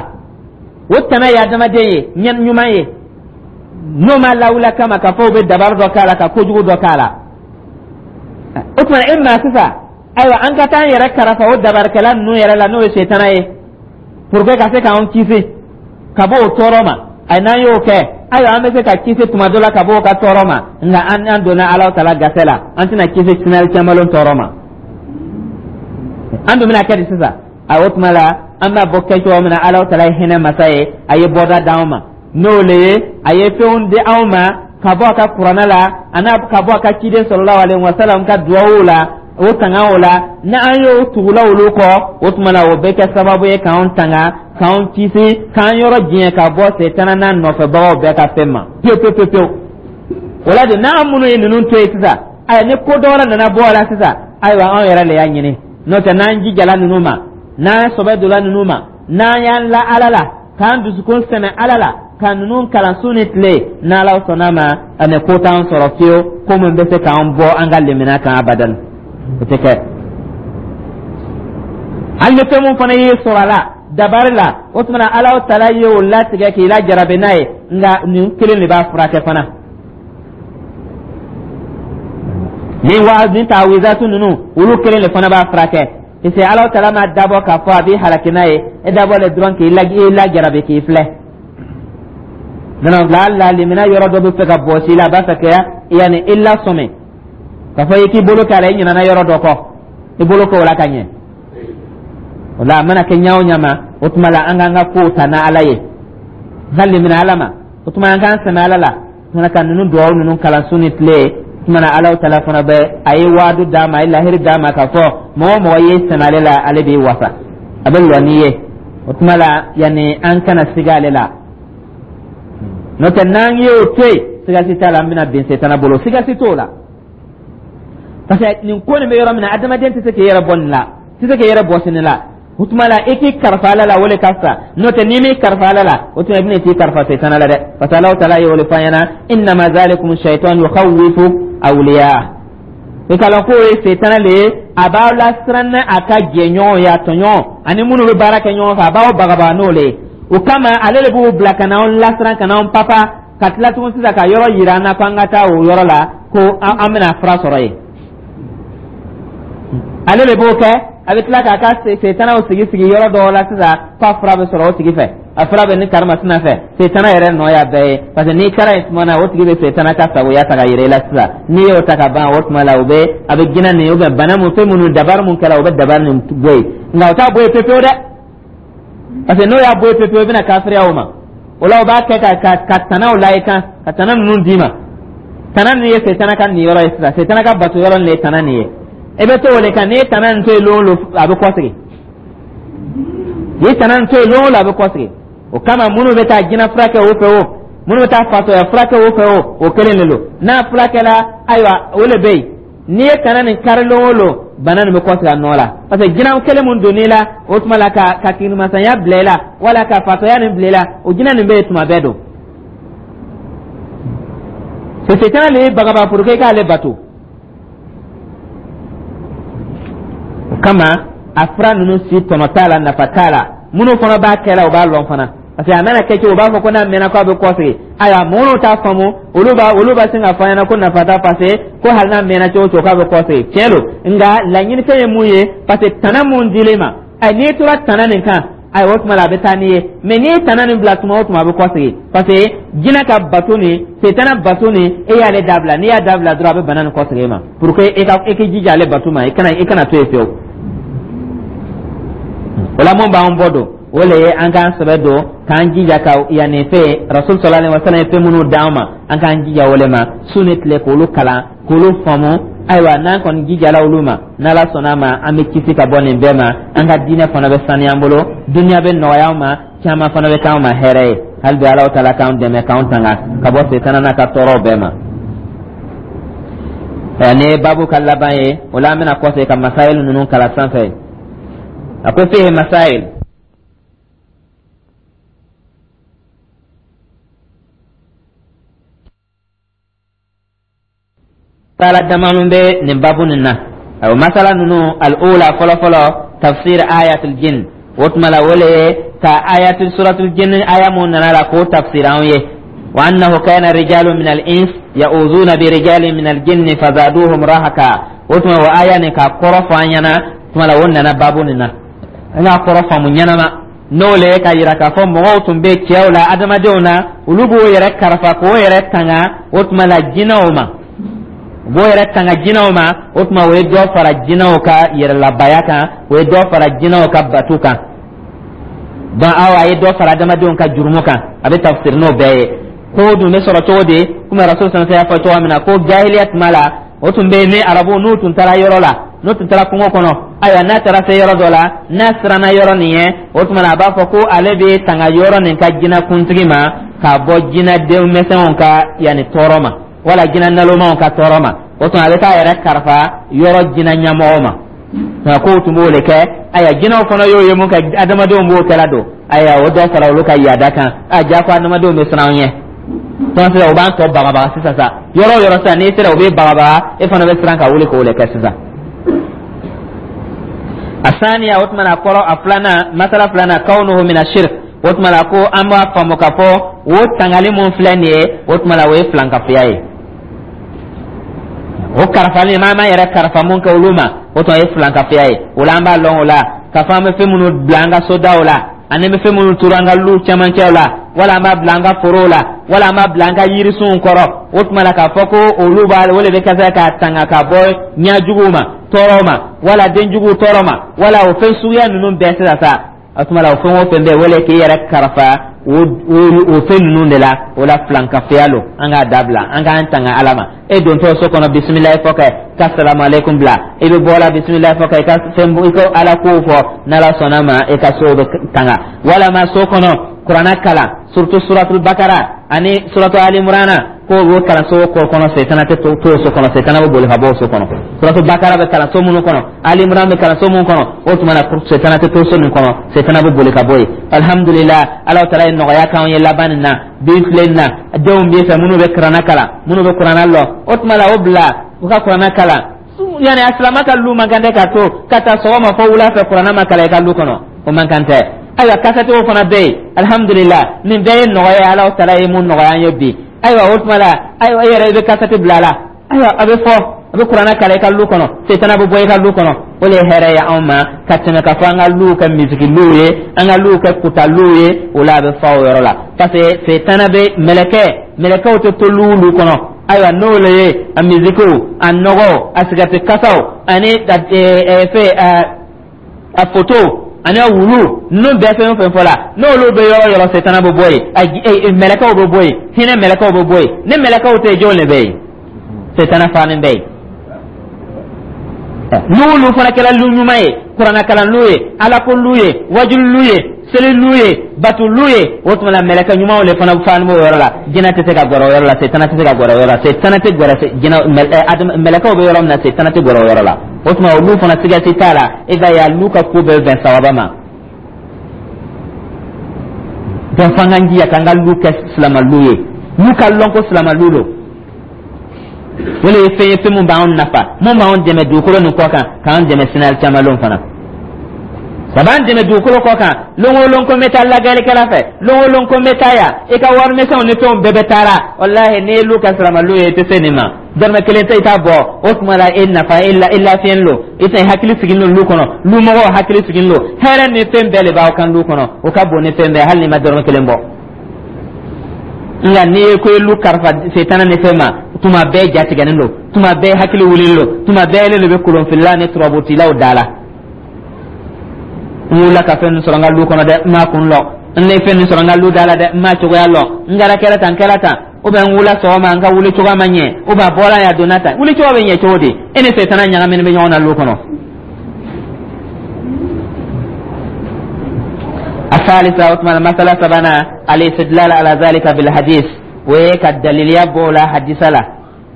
O tana ye adamaden ye ɲuman ye, n'o ma lawula kama k'a fɔ u bɛ dabari dɔ k'a la, ka kojugu dɔ k'a la. O tuma e maa sisan, ayiwa, an ka taa an yɛrɛ karafa o dabarikɛla ninnu yɛrɛ la, n'o ye setana ye, pour que ka se k'an kisi ka bɔ o tɔɔrɔ ma. Ayi, n'an y'o kɛ, ayiwa, an bɛ se ka kisi tuma dɔ la ka bɔ o ka tɔɔrɔ ma, nka an an donna Ala tala gasɛ la, an tɛna kisi sinali caman tɔɔrɔ ma. An dun bɛna kɛ di sisan? A o tuma la, an b'a bɔ kɛ cogo min na, Ala tala ye hinɛ masa ye, a ye bɔda d'anw ma, n'o le ye a ye fɛnw di anw ma ka bɔ a ka kuranɛ la, a n'a ka bɔ a ka ciden sallallahu alaihi wasallam ka duwawu la, o tanga o la. Ni an y'o tugula olu kɔ, o tuma na, o bɛ kɛ sababu ye k'anw tanga, k'anw kisi, k'an yɔrɔ diɲɛ ka bɔ setana n'a nɔfɛbagaw bɛɛ ka fɛn ma pewu pewu pewu pewu. O la de, n'an minnu ye ninnu to yen sisan, ayiwa, ni ko dɔ wɛrɛ nana bɔ a la sisan, ayiwa, anw yɛrɛ de y'a ɲini. N'o tɛ, n'an jijala ninnu ma, n'an sɔbɛ donna ninnu ma, n'an y'an la Ala la, k'an dusukun sɛmɛ Ala la, ka ninnu kalan su ni tile, n'Ala sɔnna ma, ani ko t'an sɔrɔ fiyewu ko min bɛ se k'an bɔ an ka limaniya kan abadan, o tɛ kɛ. Hali ni fɛn mun fana y'i sɔrɔ a la dabari la, o tuma na, Ala tala ye o latigɛ k'i lajarabi n'a ye, nka nin kelen de b'a furakɛ fana. Ni wa ni taawizatu ninnu, olu kelen de fana b'a furakɛ, parce que Ala tala ma dabɔ k'a fɔ a b'i halaki n'a ye, e dabɔ le dɔrɔn k'i lajarabi, k'i filɛ. Non, la la limina yɔrɔ dɔ bɛ fɛ ka bɔsi i la, a b'a fɛ ka yanni i lasɔmi k'a fɔ i k'i bolo k'a la, i ɲinɛna yɔrɔ dɔ kɔ, i bolo k'o la ka ɲɛ. O la, a mana kɛ ɲa o ɲa ma, o tuma la, an k'an ka kow ta n'Ala ye, n ka limina Ala ma. O tuma, an k'an sɛmɛ Ala la tuma ka ninnu duwawu ninnu kalan su ni tile. Tuma na, Ala tala fana bɛ a ye waadu d'a ma, a ye lahiri d'a ma k'a fɔ mɔgɔ o mɔgɔ ye sɛmɛ ale la, ale b'i wasa, a bɛ lɔ n'i ye. O tuma la, yanni an kana siga ale la. N'o tɛ, n'an y'o to yen, siga si t'a la, an bɛna bin setana bolo, siga si t'o la, parce que nin ko nin bɛ yɔrɔ min na, adamaden tɛ se k'i yɛrɛ bɔ nin la, tɛ se k'i yɛrɛ bɔsi nin la. O tuma la, i k'i kalifa Ala la, o de ka fisa. N'o tɛ, n'i m'i kalifa Ala la, o tuma i bɛna t'i kalifa setana la dɛ, parce que Alahu taala ye o de fɔ an ɲɛna: innama zalikum shaitan yukhawwifu awliya. I ka lɔn k'o ye setana le ye, a b'aw lasiran n'a ka jɛɲɔgɔn ye, a tɔɲɔgɔn ani minnu bɛ baara kɛ ɲɔgɔn fɛ, a b'aw bagabaga n'o le ye. O kama, ale de b'u bila ka n'anw lasiran, ka n'anw papa, ka tila tugun sisan ka yɔrɔ yira an na ko an ka taa o yɔrɔ la, ko an bɛna fura sɔrɔ yen. Ale de b'o kɛ. A bɛ tila k'a ka setanaw sigi sigi yɔrɔ dɔw la sisan k'a fura bɛ sɔrɔ o tigi fɛ, a fura bɛ ni karimasina fɛ. Setana yɛrɛ nɔ y'a bɛɛ ye, parce que n'i taara yen tuma na, o tigi bɛ setana ka sagoya ta ka yira i la sisan. N'i y'o ta ka ban, o tuma la, o bɛ a bɛ jinɛ nin ou bien bana mun, fɛn minnu, dabari mun kɛra, o bɛ dabari nin bɔ yen. Nka o t'a bɔ yen pepewu dɛ, parce que n'o y'a bɔ yen pepewu, i bɛna kafiriya o ma. O la, o b'a kɛ ka ka ka tanaw la i kan, ka tana ninnu d'i ma. Tana ninnu ye setana ka nin yɔrɔ ye sisan, setana ka bato yɔrɔ nin de ye tana nin ye. I bɛ to o de kan. N'i ye tana nin to yen lon o lon, a bɛ kɔsegin. N'i ye tana nin to yen lon o lon, a bɛ kɔsegin. O kama, minnu bɛ taa jinɛ furakɛ o fɛ, o minnu bɛ taa fatɔya furakɛ o fɛ, o o kelen de don. N'a furakɛla, ayiwa, o de bɛ yen. N'i ye tana nin kari lon o lon, bana nin bɛ kɔsegin a nɔ la, parce que jinɛ kelen mun donn'i la, o tuma la, ka ka kirimasanya bila i la wala ka fatɔya nin bila i la, o jinɛ nin bɛ yen tuma bɛɛ don. Setana le ye bagaba pour que i k'ale bato. O kama a fura ninnu si tɔnɔ t'a la, nafa t'a la. Minnu fana b'a kɛ la, u b'a lɔn fana, parce que a mana kɛ cogo, u b'a fɔ ko n'a mɛnna k'a bɛ kɔsegin. Ayiwa, minnu t'a faamu, olu b'a olu b'a sin k'a fɔ an ɲɛna ko nafa t'a, parce que ko hali n'a mɛnna cogo o cogo, k'a bɛ kɔsegin. Tiɲɛ don, nka laɲini fɛn ye mun ye? Parce que tana mun dil'i ma, ayi, n'i tora tana nin kan, ayiwa, o tuma la a bɛ taa n'i ye. Mɛ n'i ye tana nin bila, tuma o tuma a bɛ kɔsegin, parce que jinɛ ka bato nin, setana bato nin, e y'ale dabila. N'i y'a dabila dɔrɔn, a bɛ bana nin kɔsegin e ma, pour que e ka e k'i jija ale bato ma, i kana i kana to yen fiyewu. O la, mun b'an bɔ don, o le ye an k'an sɛbɛ don k'an jija ka yanni fɛn Rasul sallallahu alaihi wa sallam ye fɛn minnu d'an ma, an k'an jija o le ma su ni tile, k'olu kalan, k'olu faamu. Ayiwa, n'an kɔni jijala olu ma, n'Ala sɔnna a ma, an bɛ kisi ka bɔ nin bɛɛ ma. An ka diinɛ fana bɛ saniya an bolo, duniya bɛ nɔgɔya an ma, caman fana bɛ k'an ma hɛrɛ ye. Hali bi Ala taala k'an dɛmɛ, k'an tanga ka bɔ setana n'a ka tɔɔrɔw bɛɛ ma. Nin ye baabu ka laban ye. O la, an bɛna kɔsegin ka masayil ninnu kalan sanfɛ. A ko fihi masayil. Masala damanu bɛ nin babu nin na. Ayiwa, masala ninnu, al-ula, fɔlɔfɔlɔ, tafsir ayatul jin. O tuma la, o le ye ka ayatul suratul jin, aya mun nana la, k'o tafsir anw ye. Wa annahu kana rijalun min al-ins ya'uzuna bi rijalin min al-jinni fazaduhum rahaka. O tuma o aya nin ka kɔrɔ fɔ an ɲɛna. Tuma la, o nana babu nin na, an k'a kɔrɔ faamu ɲɛnama, n'o le ye ka yira k'a fɔ mɔgɔw tun bɛ cɛw la, adamadenw na, olu b'o yɛrɛ karafa k'o yɛrɛ tanga. O tuma la, jinɛw ma, u b'o yɛrɛ tanga jinɛw ma. O tuma, o ye dɔ fara jinɛw ka yɛrɛlabaya kan, o ye dɔ fara jinɛw ka batu kan. Donc awa, a ye dɔ fara adamadenw ka jurumu kan. A bɛ tafsir n'o bɛɛ ye. Ko dun bɛ sɔrɔ cogo di? Komi Rasul sanfɛ y'a fɔ cogoya min na ko jahiliya tuma la, o tun bɛ yen ni arabu n'u tun taara yɔrɔ la, n'u tun taara kungo kɔnɔ, ayiwa, n'a taara se yɔrɔ dɔ la, n'a siranna yɔrɔ nin ye, o tuma na a b'a fɔ ko ale bɛ tanga yɔrɔ nin ka jinɛ kuntigi ma ka bɔ jinɛ denmisɛnw ka yanni tɔɔrɔ ma, wala jinɛ nalomaw ka tɔɔrɔ ma. O tuma a bɛ taa yɛrɛ karifa yɔrɔ jinɛ ɲɛmɔgɔ ma. Nka kow tun b'o de kɛ. Ayiwa, jinɛw fana y'o ye mun kɛ, adamadenw b'o kɛla don. Ayiwa, o dɔ fara olu ka yaada kan. A ja ko adamadenw bɛ siran an ɲɛ tɔn sisan, u b'an tɔ bagabaga sisan sa. Yɔrɔ o yɔrɔ sisan, n'i sera, u bɛ bagabaga, e fana bɛ siran ka wuli k'o de kɛ sisan. Asaniya, o tuma na kɔrɔ a filanan, masala filanan, kawnuhu mina shirk. O tuma la ko an b'a faamu k'a fɔ o tangali mun filɛ nin ye, o tuma la o ye filankafoya ye. O karifali, maa ma yɛrɛ karifa mun kɛ olu ma, o tuma ye filankafoya ye. O la, an b'a lɔn o la k'a fɔ an bɛ fɛn minnu bila an ka sodaw la, ani bɛ fɛn minnu turu an ka lu cɛmancɛw la, wala an b'a bila an ka forow la, wala an b'a bila an ka yirisunw kɔrɔ, o tuma la k'a fɔ ko olu b'a o de bɛ kɛ k'a tanga ka bɔ ɲɛjuguw ma, tɔɔrɔw ma, wala denjuguw tɔɔrɔ ma, wala o fɛn suguya ninnu bɛɛ sisan sa. O tuma la, o fɛn o fɛn bɛ yen, wala k'i yɛrɛ karifa o o fɛn ninnu de la, o la filankafoya lo. An k'a dabila, an k'an tanga Ala ma. E dontɔ so kɔnɔ, bisimilayi fɔ kɛ ka salamu aleykum bila. I bɛ bɔ la, bisimilayi fɔ kɛ, i ka fɛn, i ka Ala kow fɔ. N'Ala sɔnna ma, i ka so bɛ tanga. Walama so kɔnɔ, kuranɛ kalan, surtout suratul Bakara ani suratu Alimurana, ko o kalan so kɔ kɔnɔ, setana tɛ to so kɔnɔ, setana bɛ boli ka bɔ o so kɔnɔ. Suratu Bakara bɛ kalan so minnu kɔnɔ, Alimuran bɛ kalan so minnu kɔnɔ, o tuma na setana tɛ to so min kɔnɔ, setana bɛ boli ka bɔ yen. Alhamdulilah, Ala taala ye nɔgɔya k'anw ye laban nin na. Bi tile nin na, denw b'i fɛ minnu bɛ kuranɛ kalan, minnu bɛ kuranɛ lɔn, o tuma la o bila u ka kuranɛ kalan. Yani a silama ka lu man kan tɛ ka to ka taa sɔgɔma fɔ wula fɛ kuranɛ ma kalan i ka lu kɔnɔ, o man kan tɛ. Ayiwa, kasɛtiw fana bɛ yen, alhamdulilah, nin bɛɛ ye nɔgɔya ye, Ala taala ye mun nɔgɔya an ye bi. Ayiwa, o tuma la, ayiwa, e yɛrɛ i bɛ kasɛti bila a la, ayiwa, a bɛ fɔ, a bɛ kuranɛ kalan i ka lu kɔnɔ, setana bɛ bɔ i ka lu kɔnɔ. O de ye hɛrɛ ye anw ma ka tɛmɛ ka fɔ an ka luw kɛ misiki luw ye, an ka luw kɛ kuta luw ye. O la, a bɛ fa o yɔrɔ la, parce que setana bɛ mɛlɛkɛ mɛlɛkɛw tɛ to lu lu kɔnɔ. Ayiwa, n'o le ye a misikiw, a nɔgɔw, a sigɛriti kasaw, ani fɛn a foto ani a wulu ninnu bɛɛ, fɛn o fɛn fɔ la, n'olu bɛ yɔrɔ yɔrɔ, setana bɛ bɔ yen, mɛlɛkɛw bɛ bɔ yen, hinɛ mɛlɛkɛw bɛ bɔ yen. Ni mɛlɛkɛw tɛ yen, jɔn de bɛ yen? Setana fanin bɛ yen. N'olu fana kɛra lu ɲuman ye, kuranɛkalan lu ye, alako lu ye, wajulu lu ye, seli lu ye, batu lu ye, o tuma la mɛlɛkɛ ɲumanw de fana fanin b'o yɔrɔ la. Jinɛ tɛ se ka gɛrɛ o yɔrɔ la, setana tɛ se ka gɛrɛ o yɔrɔ la, setana tɛ gɛrɛ jinɛ mɛlɛkɛw bɛ yɔrɔ min na, setana tɛ gɛrɛ o yɔrɔ la. O tuma olu fana sigasi t'a la, e ka ye lu ka ko bɛɛ bɛn sawaba ma. Donc f'an k'an jija k'an ka lu kɛ silama lu ye, lu ka lɔn ko silama lu don. O le ye fɛn ye, fɛn mun b'anw nafa, mun b'anw dɛmɛ dugukolo nin kɔ kan, k'an dɛmɛ sini alikiyama lon fana. A b'an dɛmɛ dugukolo kɔ kan. Lon o lon ko n bɛ taa lagɛlikɛla fɛ, lon o lon ko n bɛ taa yan, i ka warimisɛnw ni fɛnw bɛɛ bɛ taara. Walahi, n'i ye lu kɛ silamalu ye, i tɛ se nin ma. Dɔrɔmɛ kelen tɛ i t'a bɔ. O tuma la, e nafa, e la, e lafiyɛn lo, i tɛ hakili sigilen don lu kɔnɔ, lu mɔgɔw hakili sigilen don, hɛrɛ ni fɛn bɛɛ de b'aw kan lu kɔnɔ. O ka bon ni fɛn bɛɛ, hali n'i ma dɔrɔmɛ kelen bɔ. Nka n'i ye ko ye lu kalifa setana ni fɛn ma, tuma bɛɛ jatigɛlen don, tuma bɛɛ hakili wulilen don, tuma bɛɛ ele de bɛ kolonfilila ni turabutilaw da la. N wulila ka fɛn nin sɔrɔ n ka lu kɔnɔ dɛ, n m'a kun lɔ. N ye fɛn nin sɔrɔ n ka lu da la dɛ, n m'a cogoya lɔ. N kɛra kɛra tan, kɛra tan, ou bien n wulila sɔgɔma, n ka wuli cogoya ma ɲɛ, ou bien a bɔra yan, a donna tan. Wuli cogo bɛ ɲɛ cogo di? E ni setana ɲagaminen bɛ ɲɔgɔn na lu kɔnɔ. الثالثة، وثمان مسألة سبنا، الاستدلال على ذلك بالحديث، ويك الدليل يبو حديث له،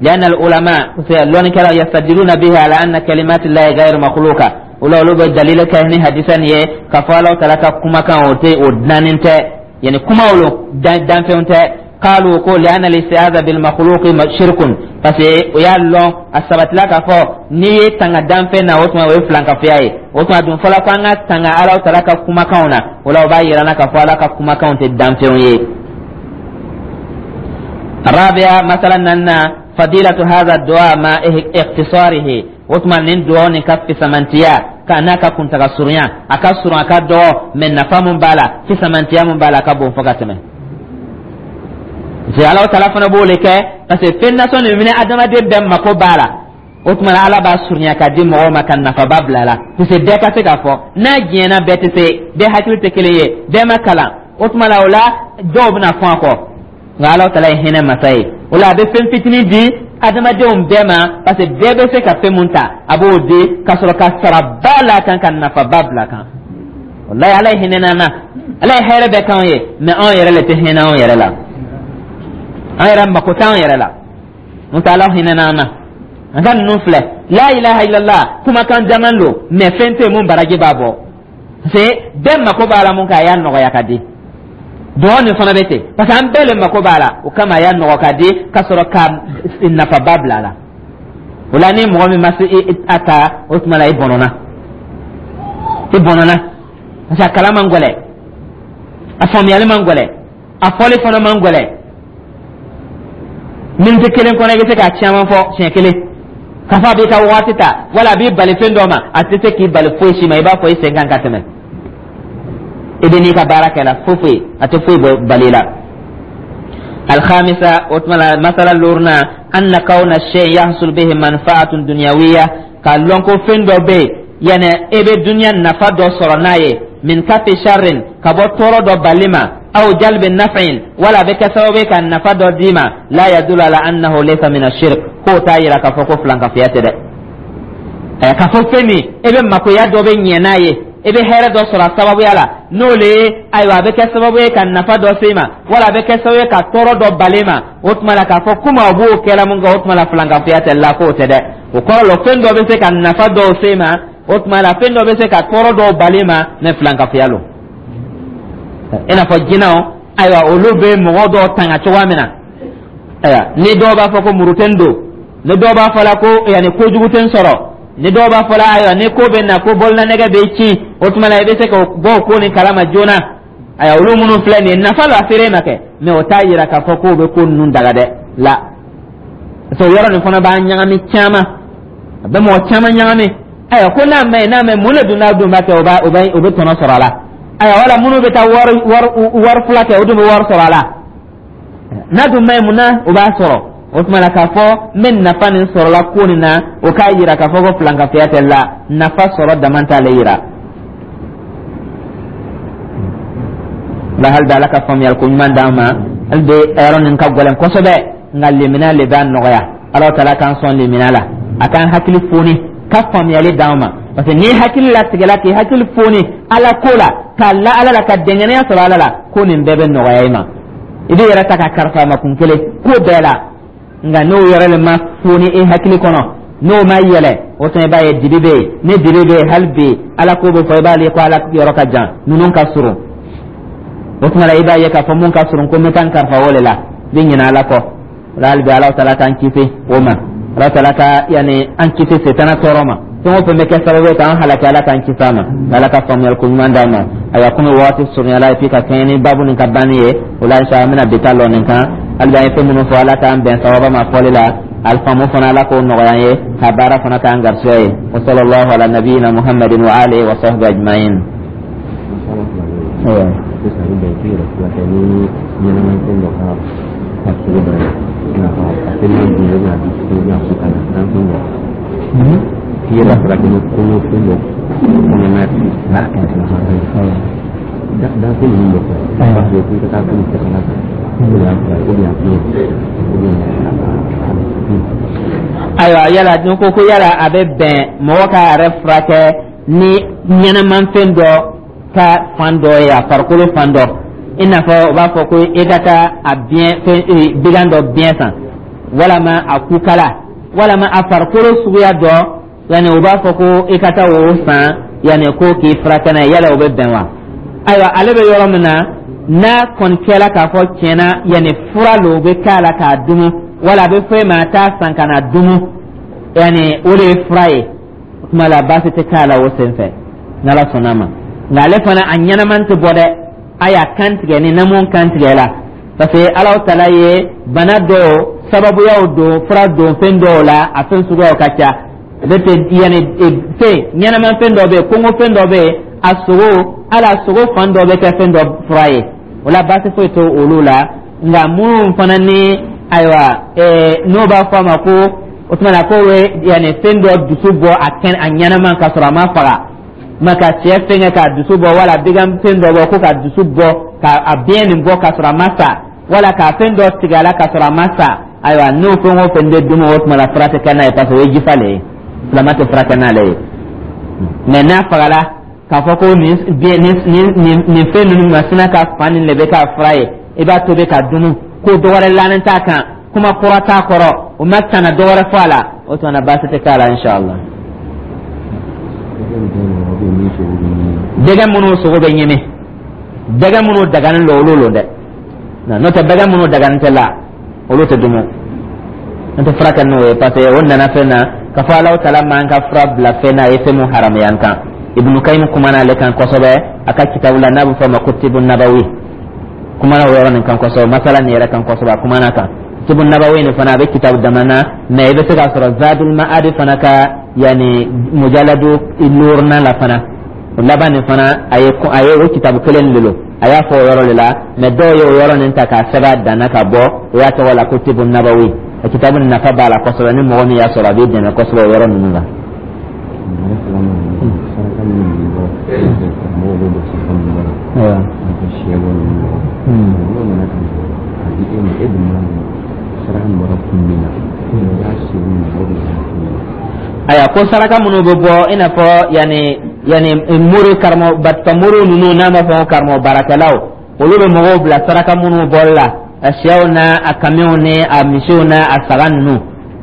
لأن العلماء لون كانوا يستدلون به على أن كلمات الله غير مخلوقة. Olu olu bɛ dalili kɛ ni hadisa nin ye k'a fɔ Alahu taala ka kumakan, o tɛ o dilannen tɛ, yani kumaw lo, danfɛnw tɛ. قالوا ko لأن الاستعاذة بالمخلوق شرك, parce que o y'a lɔn, a sabatila k'a fɔ n'i ye tanga danfɛn na, o tuma o ye filankafoya ye. O tuma dun fɔla ko an ka tanga Alahu taala ka kumakanw na. O la, o b'a yira n na k'a fɔ Ala ka kumakanw tɛ danfɛnw ye. الرابعة، مثلا أن فضيلة هذا الدعاء مع اختصاره. O tuma nin duwawu nin ka fisamantiya ka n'a ka kuntaga surunya, a ka surun, a ka dɔgɔ, mɛ nafa mun b'a la, fisamantiya mun b'a la, a ka bon fo ka tɛmɛ. Parce que Alahu taala fana b'o le kɛ, parce que fɛn nasɔn nin minɛ, adamaden bɛɛ mako b'a la. O tuma Ala b'a surunya ka di mɔgɔw ma, ka nafaba bila a la, parce que bɛɛ ka se k'a fɔ n'a diɲɛna. Bɛɛ tɛ se, bɛɛ hakili tɛ kelen ye, bɛɛ ma kalan. O tuma la, o la dɔw bɛna fɔn a kɔ. Nka Alahu taala ye hinɛ masa ye. O la, a bɛ fɛn fitinin di adamadenw bɛɛ ma, parce que bɛɛ bɛ se ka fɛn mun ta, a b'o di ka sɔrɔ ka saraba la kan, ka nafaba bila kan. Walayi, Ala ye hinɛ n'an na, Ala ye hɛrɛ bɛɛ k'anw ye, mɛ anw yɛrɛ le tɛ hinɛ anw yɛrɛ la, an yɛrɛ mako t'anw yɛrɛ la. N'o tɛ, Ala hinɛ n'an na. An ka ninnu filɛ, la ilaha illallah, kumakan jaman don, mɛ fɛn tɛ yen mun baraji b'a bɔ, parce que bɛɛ mako b'a la. Mun kɛ, a y'a nɔgɔya ka di. Dugawu nin fana bɛ ten, parce que an bɛɛ le mako b'a la. O kama, a y'a nɔgɔ ka di ka sɔrɔ ka nafaba bila a la. O la, ni mɔgɔ min ma se a ta, o tuma la i bɔnɔna, i bɔnɔna, parce que a kalan man gɛlɛn, a faamuyali man gɛlɛn, a fɔli fana man gɛlɛn. Miniti kelen kɔnɔ, i bɛ se k'a caman fɔ siɲɛ kelen. K'a fɔ a b'i ka waati ta, wala a b'i bali fɛn dɔ ma, a tɛ se k'i bali foyi si ma. I b'a fɔ i sen kan ka tɛmɛ, i bɛ n'i ka baara kɛ la, foyi foyi a tɛ foyi bɔ bali la. الخامسة، مسألة لورنا، أن كون الشيء يحصل به منفعة دنيوية, k'a lɔn ko fɛn dɔ bɛ yen, yani e bɛ dunuya nafa dɔ sɔrɔ n'a ye, من كف شر, ka bɔ tɔɔrɔ dɔ bali ma, أو جلب نفع, wala a bɛ kɛ sababu ye ka nafa dɔ d'i ma, لا يدل على أنه ليس من الشرك, k'o t'a yira k'a fɔ ko filankafoya tɛ dɛ. Ɛ, k'a fɔ fɛn min e bɛ makoya dɔ bɛ ɲɛ n'a ye, i bɛ hɛrɛ dɔ sɔrɔ a sababuya la, n'o le ye, ayiwa, a bɛ kɛ sababu ye ka nafa dɔ se i ma, wala a bɛ kɛ sababu ye ka tɔɔrɔ dɔ bali ma, o tuma la k'a fɔ komi a b'o kɛla mun kɛ, o tuma la filankafoya tɛ la, k'o tɛ dɛ. O kɔrɔ la, fɛn dɔ bɛ se ka nafa dɔw se i ma, o tuma la fɛn dɔ bɛ se ka tɔɔrɔ dɔw bali ma, mɛ filankafoya lo. I n'a fɔ jinɛw, ayiwa, olu bɛ mɔgɔ dɔw tanga cogoya min na. Ayiwa, ni dɔw b'a fɔ ko muru tɛ n don, ni dɔw b'a fɔ la ko yanni kojugu tɛ n sɔrɔ, ni dɔw b'a fɔ la, ayiwa, ni ko bɛ na ko bololanɛgɛ bɛ ci, o tuma la i bɛ se ka bɔ o ko nin kalama joona. Ayiwa, olu minnu filɛ nin ye, nafa la feere ma kɛ, mɛ o t'a yira k'a fɔ k'o bɛ ko ninnu daga dɛ la. Parce que o yɔrɔ nin fana b'a ɲagami caman, a bɛ mɔgɔ caman ɲagami. Ayiwa, ko n'a ma ɲi, n'a ma ɲi, mun de dun n'a dun b'a kɛ, o b'a o bɛ o bɛ tɔnɔ sɔrɔ a la? Ayiwa, wala minnu bɛ taa wari wari wari fila kɛ, o dun bɛ wari sɔrɔ a la. N'a dun ma ɲi, mun na o b'a sɔrɔ? O tuma la, k'a fɔ n bɛ nafa nin sɔrɔla ko nin na, o k'a yira k'a fɔ ko filankafoya tɛ la. Nafa sɔrɔ dama t'ale yira la. Hali bi, Ala ka faamuyali ko ɲuman d'an ma. Hali bi, yɔrɔ nin ka gɛlɛn kosɛbɛ, nka lemina le b'a nɔgɔya. Ala taala k'an sɔn lemina la, a k'an hakili foni ka faamuyali d'an ma, parce que n'i hakili latigɛla, k'i hakili foni Ala ko la, k'a la Ala la, ka dɛngɛnɛya sɔrɔ Ala la, ko nin bɛɛ bɛ nɔgɔya i ma. I b'i yɛrɛ ta ka karifa ma kun kelen ko bɛɛ la. Nka n'o yɔrɔ le ma foni e hakili kɔnɔ, n'o ma yɛlɛ, o tuma i b'a ye dibi bɛ yen. Ni dibi bɛ yen, hali bi Ala ko bɛ fɔ, i b'ale ko Ala yɔrɔ ka jan, ninnu ka surun. O tuma la, i b'a ye k'a fɔ mun ka surun, ko n bɛ taa n kalifa o de la, i bɛ ɲinɛ Ala kɔ. O la, hali bi, Ala taala k'an kisi o ma. Ala taala ka yani an kisi setana tɔɔrɔ ma. Fɛn o fɛn bɛ kɛ sababu ye k'an halaki, Ala k'an kisi a ma. Ala ka faamuyali ko ɲuman d'an ma. Ayiwa, komi waati surunyala, et puis ka kɛɲɛ ni baabu nin ka banni ye, o la inshallah an bɛna bi ta lɔ nin kan. Hali bi, an ye fɛn minnu fɔ, Ala k'an bɛn sababa ma fɔli la. Alifaamu fana, Ala k'o nɔgɔya an ye, ka baara fana k'an garisɛgɛ ye. Wa sallallahu ala nabiyina Muhammadin wa alihi wa sahbihi ajma'in. Sisan i bɛn k'i yɛrɛ furakɛ ni ɲɛnamafɛn dɔ ka farisogo dɔ ye, i n'a fɔ a teliman dun, ou bien a dusukun, ou bien a kutala danfɛn dɔ, k'i yɛrɛ furakɛ ni kɔngɔfɛn dɔ kɔnɔna danfɛn ninnu dɔ fɛ, parce que k'i ka taa fɛn tɛgɛla kan, ou bien ou bien a fiɲɛ, ou bien a dusukun. Ayiwa, yala ni ko ko yala a bɛ bɛn mɔgɔ k'a yɛrɛ furakɛ ni ɲɛnɛmafɛn dɔ ka fan dɔ ye, a farikolo fan dɔ, i n'a fɔ u b'a fɔ ko i ka taa a biɲɛ fɛn bigan dɔ biɲɛ san, walama a kukala, walama a farikolo suguya dɔ, yanni u b'a fɔ ko i ka taa o san, yanni ko k'i furakɛ n'a ye, yala o bɛ bɛn wa? Ayiwa, ale bɛ yɔrɔ min na, n'a kɔni kɛla k'a fɔ tiɲɛna, yanni fura lo bɛ k'a la k'a dumu, wala a bɛ fɔ e ma a t'a san ka na dumu, yanni o de ye fura ye, o tuma la baasi tɛ k'a la o sen fɛ, n'Ala sɔnna a ma. Nka ale fana a ɲɛnaman tɛ bɔ dɛ, a y'a kan tigɛ ni namu kan tigɛ la, parce que Alahu taala ye bana dɔw sababuyaw don fura don fɛn dɔw la, a fɛn suguyaw ka ca. Ne tɛ yanni fɛn ɲɛnaman fɛn dɔ bɛ yen, kongo fɛn dɔ bɛ yen, a sogo, hali a sogo fan dɔ bɛ kɛ fɛn dɔ fura ye. O la, baasi foyi tɛ olu la. Nka minnu fana ni, ayiwa, ɛɛ n'o b'a fɔ a ma ko o tuma na ko bɛ yanni fɛn dɔ dusu bɔ a kɛnɛ, a ɲɛnama, ka sɔrɔ a ma faga ma, ka sɛ fɛngɛ k'a dusu bɔ, wala bigan fɛn dɔ bɔ ko ka dusu bɔ, ka a biɲɛ nin bɔ ka sɔrɔ a ma sa, wala ka fɛn dɔ tigɛ a la ka sɔrɔ a ma sa, ayiwa, n'o fɛn o fɛn bɛ dumu, o tuma la fura tɛ kɛ n'a ye, parce que o ye jifa le ye, silama tɛ furakɛ n'ale ye. Mɛ n'a fagala k'a fɔ ko nin biɲɛ nin nin nin fɛn ninnu masina ka fan nin de bɛ k'a fura ye, i b'a tobi ka dumu, ko dɔ wɛrɛ lanen t'a kan, kuma kura t'a kɔrɔ, o ma tana dɔ wɛrɛ fɔ a la, o tuma na baasi tɛ k'a la, inshallah. Dɛgɛ minnu sogo bɛ ɲimi, dɛgɛ minnu daganen don, olu lo dɛ. N'o tɛ, dɛgɛ minnu daganen tɛ la, olu tɛ dumu, n tɛ furakɛ n'o ye, parce que o nana fɛn na k'a fɔ Alahu taala m'an ka fura bila fɛn na a ye fɛn mun haramuya an kan. Ibnu Kayim kumana ale kan kosɛbɛ a ka kitabu la n'a bɛ fɔ o ma ko Tibu Nabawi. Kumana o yɔrɔ nin kan kosɛbɛ, masala nin yɛrɛ kan kosɛbɛ, a kumana kan. Tibu Nabawi nin fana, a bɛ kitabu dama na, mɛ i bɛ se k'a sɔrɔ Zadul Ma'adi fana ka yanni mujaladu luurunan la fana, o laban nin fana, a ye a ye o kitabu kelen de don, a y'a fɔ o yɔrɔ de la. Mɛ dɔw ye o yɔrɔ nin ta k'a sɛbɛn a danna ka bɔ, o y'a tɔgɔ la ko Tibu Nabawi. A kitabu nin nafa b'a la kosɛbɛ, ni mɔgɔ min y'a sɔrɔ, a b'i dɛmɛ kosɛbɛ o yɔrɔ ninnu la. Saraka minnu bɛ bɔ, mɔgɔw bɛ bɔ saraka min bɔ la, i n'a fɔ sɛ bɔ ninnu bɔ, n'o nana ka na a di e ma, e dun b'a dɔn saraka min bɔra kun min na, i b'a se u ma, o de b'a f'i ɲɛna. Ayiwa, ko saraka minnu bɛ bɔ, i n'a fɔ yanni yanni mori karamɔgɔ batika mori ninnu, n'a ma fɔ ko karamɔgɔ baarakɛlaw, olu bɛ mɔgɔw bila saraka minnu bɔli la, a sɛw n'a a kamiw ni a misiw n'a a saga ninnu,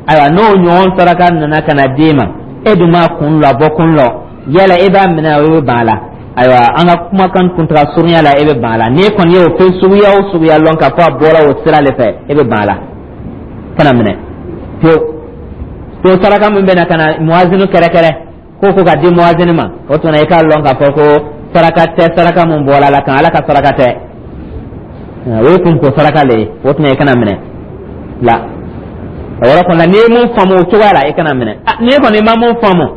ayiwa, n'o ɲɔgɔn saraka nana ka na d'e ma, e dun m'a kun lɔ, a bɔ kun lɔ, yala e b'a minɛ o, e bɛ ban a la? Ayiwa, an ka kumakan kuntaga surunya la, e bɛ ban a la. N'e kɔni ye o fɛn suguya o suguya lɔn k'a fɔ a bɔra o sira de fɛ, e bɛ ban a la, kana minɛ pewu. To saraka min bɛ na ka na muwazinu kɛrɛkɛrɛ ko ko ka di muwazini ma, o tuma i k'a lɔn k'a fɔ ko saraka tɛ, saraka mun bɔra la kan, Ala ka saraka tɛ, o ye kunko saraka le ye, o tuma i kana minɛ la. O yɔrɔ kɔni la, n'i ye mun faamu o cogoya la, i kana minɛ. N'i kɔni ma mun faamu,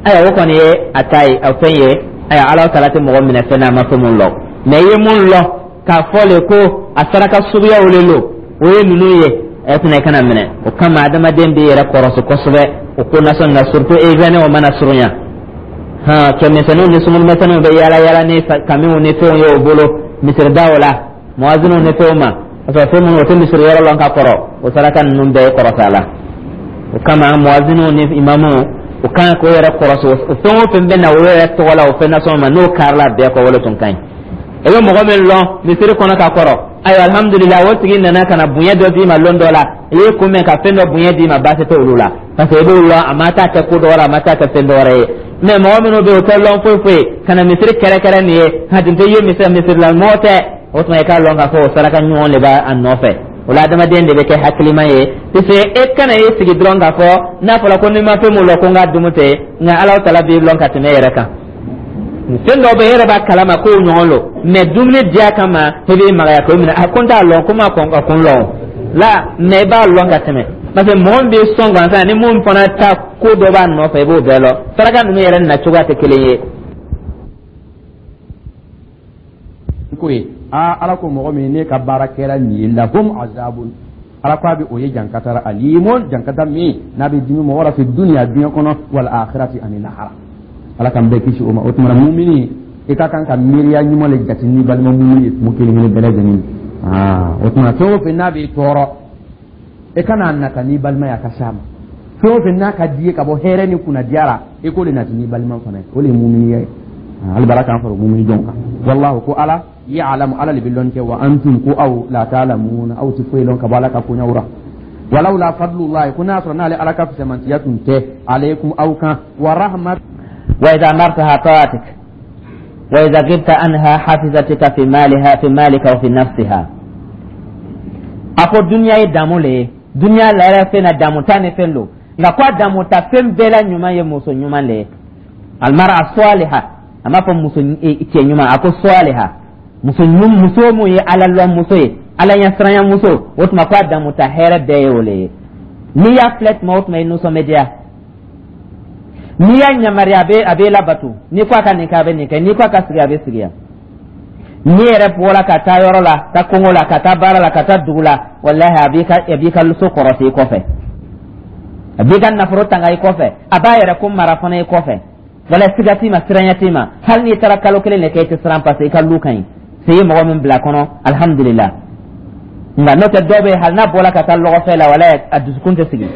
ayiwa, o kɔni ye a ta ye, a fɛn ye. Ayiwa, Ala taala tɛ mɔgɔ minɛ fɛn na a ma fɛn mun lɔ. Mɛ i ye mun lɔ k'a fɔ le ko a saraka suguyaw le lo, o ye ninnu ye, ɛ tɛna i kana minɛ. O kama, adamaden b'i yɛrɛ kɔrɔsi kosɛbɛ o ko nasɔn na, surtout événement o mana surunya hɔn, cɛmisɛnninw ni sumuni bɛ yaala yaala ni kamiw ni fɛnw ye o bolo misiridaw la, muwaziniw ni fɛnw ma, parce que fɛn minnu o tɛ misiri yɔrɔ lɔn ka kɔrɔ, o saraka ninnu bɛɛ ye kɔrɔta la. O kama, muwaziniw ni imamuw, o kan k'o yɛrɛ kɔrɔsi, o fɛn o fɛn bɛ na o yɛrɛ tɔgɔ la, o fɛn nasɔn ma, n'o karila bɛɛ kɔ, wale tun ka ɲi. I bɛ mɔgɔ min lɔn misiri kɔnɔ ka kɔrɔ, ayiwa, alhamdulilah, o tigi nana ka na bonya dɔ d'i ma lon dɔ la, i ye kunbɛn ka fɛn dɔ bonya d'i ma, baasi tɛ olu la, parce que i b'o lɔn, a ma taa kɛ ko dɔ wɛrɛ, a ma taa kɛ fɛn dɔ wɛrɛ ye. Mɛ mɔgɔ minnu bɛ yen, o tɛ lɔn foyi foyi, ka na misiri kɛrɛkɛrɛ nin ye, a tun tɛ ye misiri, misiri la mɔgɔ tɛ, o tuma i k'a lɔn k'a fɔ o saraka ɲɔgɔn de b'a nɔfɛ. O la, adamaden de bɛ kɛ hakilima ye, puisque e kana e sigi dɔrɔn k'a fɔ n'a fɔra ko n'i ma fɛn mun lɔn ko n ka dumu tɛ. Nka Ala tala b'i lɔn ka tɛmɛ e yɛrɛ kan. Fɛn dɔw bɛ e yɛrɛ b'a kalama k'o ɲɔgɔn lo, mais dumuni diya kama e b'i magaya k'o minɛ. A ko n t'a lɔn, ko n ma kɔn ka kun lɔn la, mais i b'a lɔn ka tɛmɛ, parce que mɔgɔ min b'i sɔn gansan ni mun fana ta, ko dɔ b'a nɔfɛ, i b'o bɛɛ lɔn. Saraka ninnu yɛrɛ nacogoya tɛ kelen ye. Ko ye aa, Ala ko mɔgɔ min ne ka baara kɛra nin ye, lahum azabun, Ala ko a bɛ o ye jankata, alimun, jankata min n'a bɛ dimi mɔgɔ la, fi dunya, diɲɛ kɔnɔ, wal akhirati, ani lahara. Ala k'an bɛɛ kisi o ma. O tuma na, mumini, i ka kan ka miiriya ɲuman le jate n'i balima mumini ye tuma kelen kelen bɛɛ lajɛlen. Aa, o tuma, fɛn o fɛn n'a b'i tɔɔrɔ, i kana nata n'i balima ye, a ka s'a ma. Fɛn o fɛn n'a ka di ye ka bɔ hɛrɛ ni kunnadiya la, i k'o de nati n'i balima fana ye. O de ye muminiya ye. Hali bara k'an fara mumini jɔn kan. Wallahu, ko Ala, ya'lamu, Ala le bɛ lɔn kɛ, wa antum, ko aw, la ta'lamuna, aw ti foyi lɔn ka bɔ Ala ka koɲɛw ra. Walawla fadlullahi, ko n'a sɔrɔ n'ale Ala ka fisamantiya tun tɛ, alaykum, aw kan, wa rahmat. وإذا أمرتها طاعتك وإذا غبت عنها حفظتك في مالها، في مالك وفي نفسها. A ko dunya ye damu le ye, dunya la yɛrɛ fɛn na damu ta ni fɛn don, nka ko a damu ta fɛn bɛɛ la ɲuman ye muso ɲuman le ye, almara saliha. A m'a fɔ muso cɛ ɲuman, a ko saliha, muso muso mun ye Ala lɔn muso ye, Ala ɲɛsiranya muso. O tuma, ko a damu ta hɛrɛ bɛɛ ye o le ye. N'i y'a filɛ tuma o tuma, i nisɔn bɛ diya. N'i y'a yamaruya, a bɛ a bɛ labato. N'i ko a ka nin kɛ, a bɛ nin kɛ. N'i ko a ka sigi, a bɛ sigi yan. N'i yɛrɛ bɔra ka taa yɔrɔ la, taa kungo la, ka taa baara la, ka taa dugu la, walahi, a b'i ka a b'i ka so kɔrɔsi i kɔfɛ, a b'i ka nafolo tanga i kɔfɛ, a b'a yɛrɛ ko mara fana i kɔfɛ. Wala siga t'i ma, siranya t'i ma. Hali n'i taara kalo kelen de kɛ, i tɛ siran, parce que i ka lu ka ɲi se ye mɔgɔ min bila kɔnɔ, alihamudulila. Nka n'o tɛ, dɔw bɛ yen, hali n'a bɔra ka taa lɔgɔfɛ la, walahi, a dusukun tɛ sigi,